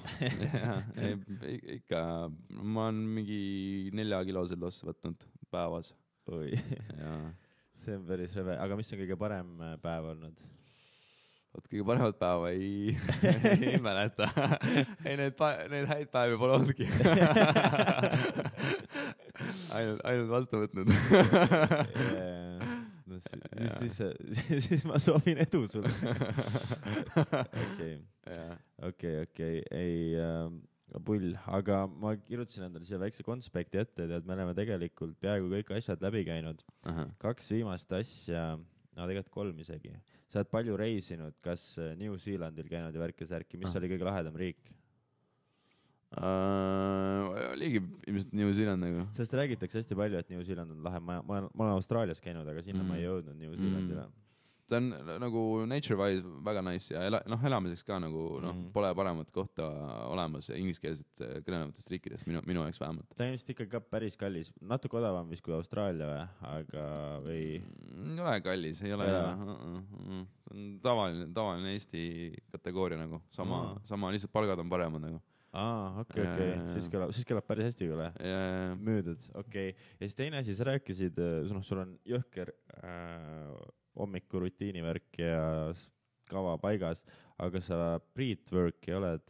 Ikka, ma olen mingi 4-kilosed losse võtnud päevas. Oi, see on päris rõve. Aga mis on kõige parem päev olnud? Kõige paremat päeva ei mäleta. Ei, need häid päevi pole olnudki. ainult vastu võtnud. Siis ma soovin edu sulle. Okei, ei pull, aga ma kirjutasin endale siia väikse konspekti ette, et me oleme tegelikult peaaegu kõik asjad läbi käinud. 2 viimast asja, tegelikult 3 isegi. Sa oled palju reisinud, kas New Zealandil käinud ja värki-särki, mis oli kõige lahedam riik? Oligi ilmselt New Zealand nagu. Sest räägitakse hästi palju, et New Zealand on lahe. Ma olen Austraalias käinud, aga sinna ma ei jõudnud New Zealandile. See on nagu nature-wise väga nice ja elamiseks ka nagu pole paremat kohta olemas ja ingliskeelset kõnelevatest riikidest minu jaoks vähemalt. Ta on vist ikka ka päris kallis, natuke odavam vist kui Austraalia või, aga või? Ei ole kallis, ei ole. See on tavaline Eesti kategooria nagu, sama lihtsalt palgad on paremad nagu. Okei. Siis kõlab päris hästi küll, müüdud, okei. Ja siis teine asi, sa rääkisid, sul on jõhker hommiku rutiinivärk ja kava paigas, aga sa breathwork'i oled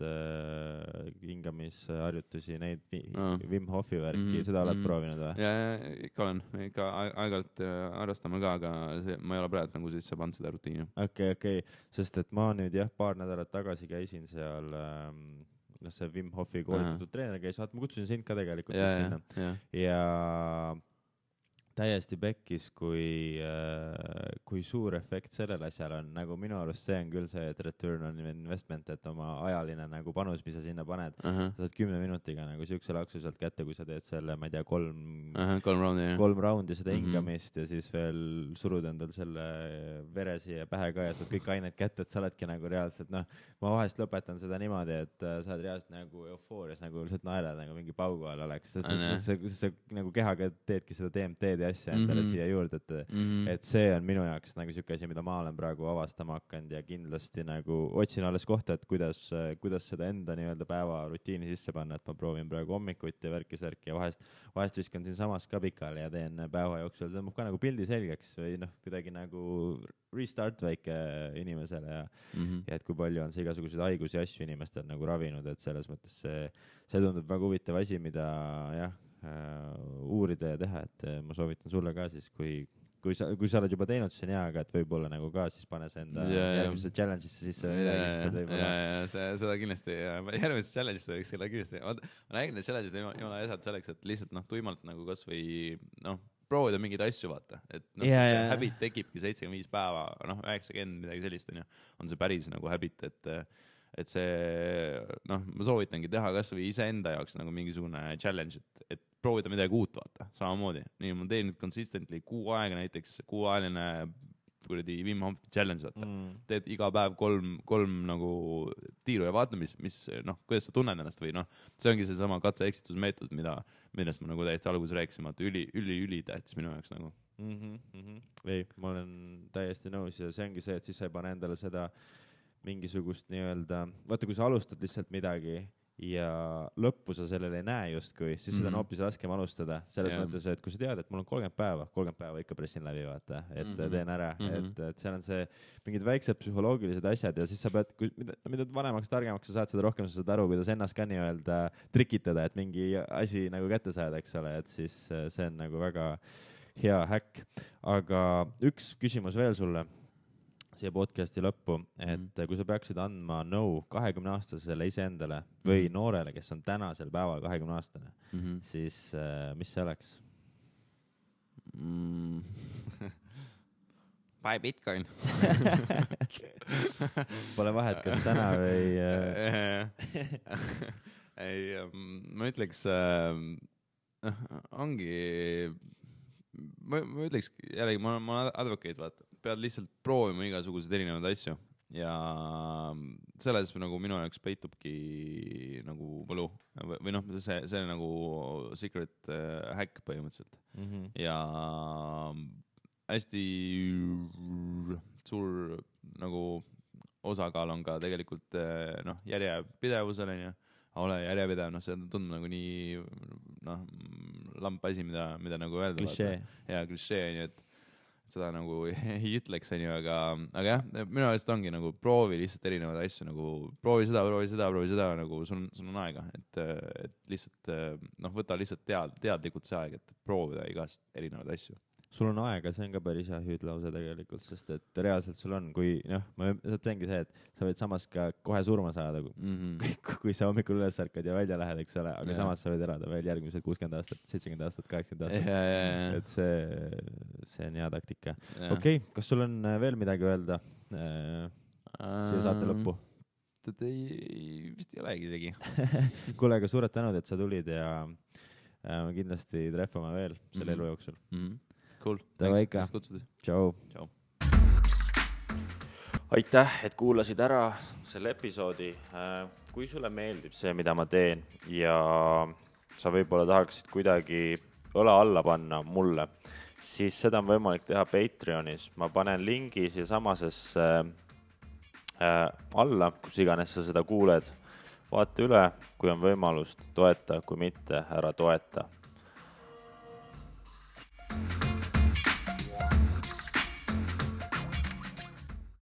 hingamisharjutusi, neid Wim Hofi värki, seda oled proovinud või? Ikka olen, ikka aeg-ajalt harrastame ka, aga ma ei ole praegu nagu sisse pannud seda rutiini. Okei, sest et ma nüüd paar nädalat tagasi käisin seal see Wim Hofi koolitatud treener käis, ma kutsusin sind ka tegelikult sinna ja täiesti pekkis, kui suur efekt sellel asjal on, nagu minu arust see on küll see, et return on investment, et oma ajaline nagu panus, mis sa sinna paned, sa saad 10 minutiga nagu siukse laksu sealt kätte, kui sa teed selle, ma ei tea, 3 raundi seda hingamist ja siis veel surud endal selle vere siia pähe ka ja saad kõik ained kätte, et sa oledki nagu reaalselt, ma vahest lõpetan seda niimoodi, et sa oled reaalselt nagu eufoorias, nagu lihtsalt naerad, nagu mingi paugu all oleks, sa nagu kehaga teedki seda DMT-d ja asja endale siia juurde, et see on minu jaoks nagu siuke asi, mida ma olen praegu avastama hakanud ja kindlasti nagu otsin alles kohta, et kuidas seda enda nii-öelda päevarutiini sisse panna, et ma proovin praegu hommikuti ja värki-särki ja vahest viskan siin samas ka pikali ja teen päeva jooksul, tõmbab ka nagu pildi selgeks või kuidagi nagu restart väike inimesele ja et kui palju on see igasuguseid haigusi ja asju inimestel nagu ravinud, et selles mõttes see tundub väga huvitav asi, mida uurida ja teha, et ma soovitan sulle ka siis, kui sa oled juba teinud, siis on hea, aga et võib-olla nagu ka siis pane see enda järgmise challenge'isse sisse seda kindlasti, järgmise challenge'isse võiks selle kindlasti, ma nägin, et challenge'id ei ole asjad selleks, et lihtsalt tuimalt nagu kas või proovida mingeid asju, vaata, et see habit tekibki 75 päeva, 90 midagi sellist on see päris nagu habit, et see, ma soovitangi teha kas või iseenda jaoks nagu mingisugune challenge, et proovida midagi uut, vaata, samamoodi. Nii, ma teen nüüd consistently 6 aega näiteks, 6-ajaline kuradi Wim Hof challenge, vaata. Teed iga päev 3 nagu tiiru ja vaata, kuidas sa tunned ennast või see ongi see sama katse-eksitusmeetod, millest ma nagu täiesti alguses rääkisin, vaata, üli tähtis minu jaoks nagu. Ei, ma olen täiesti nõus ja see ongi see, et siis sa ei pane endale seda mingisugust nii-öelda, vaata, kui sa alustad lihtsalt midagi ja lõppu sa sellele ei näe justkui, siis seda on hoopis raskem alustada. Selles mõttes, et kui sa tead, et mul on 30 päeva ikka pressin läbi, vaata, et teen ära, et seal on see mingid väiksed psühholoogilised asjad ja siis sa pead, mida vanemaks, targemaks sa saad, seda rohkem sa saad aru, kuidas ennast ka nii-öelda trikitada, et mingi asi nagu kätte saada, eks ole, et siis see on nagu väga hea häkk. Aga üks küsimus veel sulle siia podcasti lõppu, et kui sa peaksid andma 20-aastasele iseendale või noorele, kes on tänasel päeval 20-aastane, siis mis see oleks? buy Bitcoin. Pole vahet, kas täna või ei, ma ütleks, ongi, ma ütleks jällegi, ma olen advocate, vaata, pead lihtsalt proovima igasuguseid erinevaid asju ja selles nagu minu jaoks peitubki nagu võlu või noh, see nagu secret hack põhimõtteliselt ja hästi suur nagu osakaal on ka tegelikult noh, järjepidevusel on ju, ole järjepidev, noh, see tundub nagu nii noh, lamp asi, mida nagu öelda. Klišee. Ja klišee on ju, et seda nagu ei ütleks, on ju, aga jah, minu arust ongi nagu proovi lihtsalt erinevaid asju, nagu proovi seda, nagu sul on aega, et lihtsalt noh, võta lihtsalt teadlikult see aeg, et proovida igast erinevaid asju. Sul on aega, see on ka päris hea hüüdlause tegelikult, sest et reaalselt sul on, kui noh, see ongi see, et sa võid samas ka kohe surma saada, kui sa hommikul üles ärkad ja välja lähed, eks ole, aga samas sa võid elada veel järgmised 60 aastat, 70 aastat, 80 aastat. Et see on hea taktika. Okei, kas sul on veel midagi öelda siia saate lõppu? Ei, vist ei olegi isegi. Kuule, aga suured tänud, et sa tulid ja kindlasti treffame veel selle elu jooksul. Cool. Thanks kutsudes. Ciao. Ciao. Aitäh, et kuulasid ära selle episoodi. Kui sulle meeldib see, mida ma teen ja sa võib-olla tahaksid kuidagi õla alla panna mulle, siis seda on võimalik teha Patreonis. Ma panen lingi siia samasesse alla, kus iganes sa seda kuuled. Vaata üle, kui on võimalust, toeta, kui mitte, ära toeta.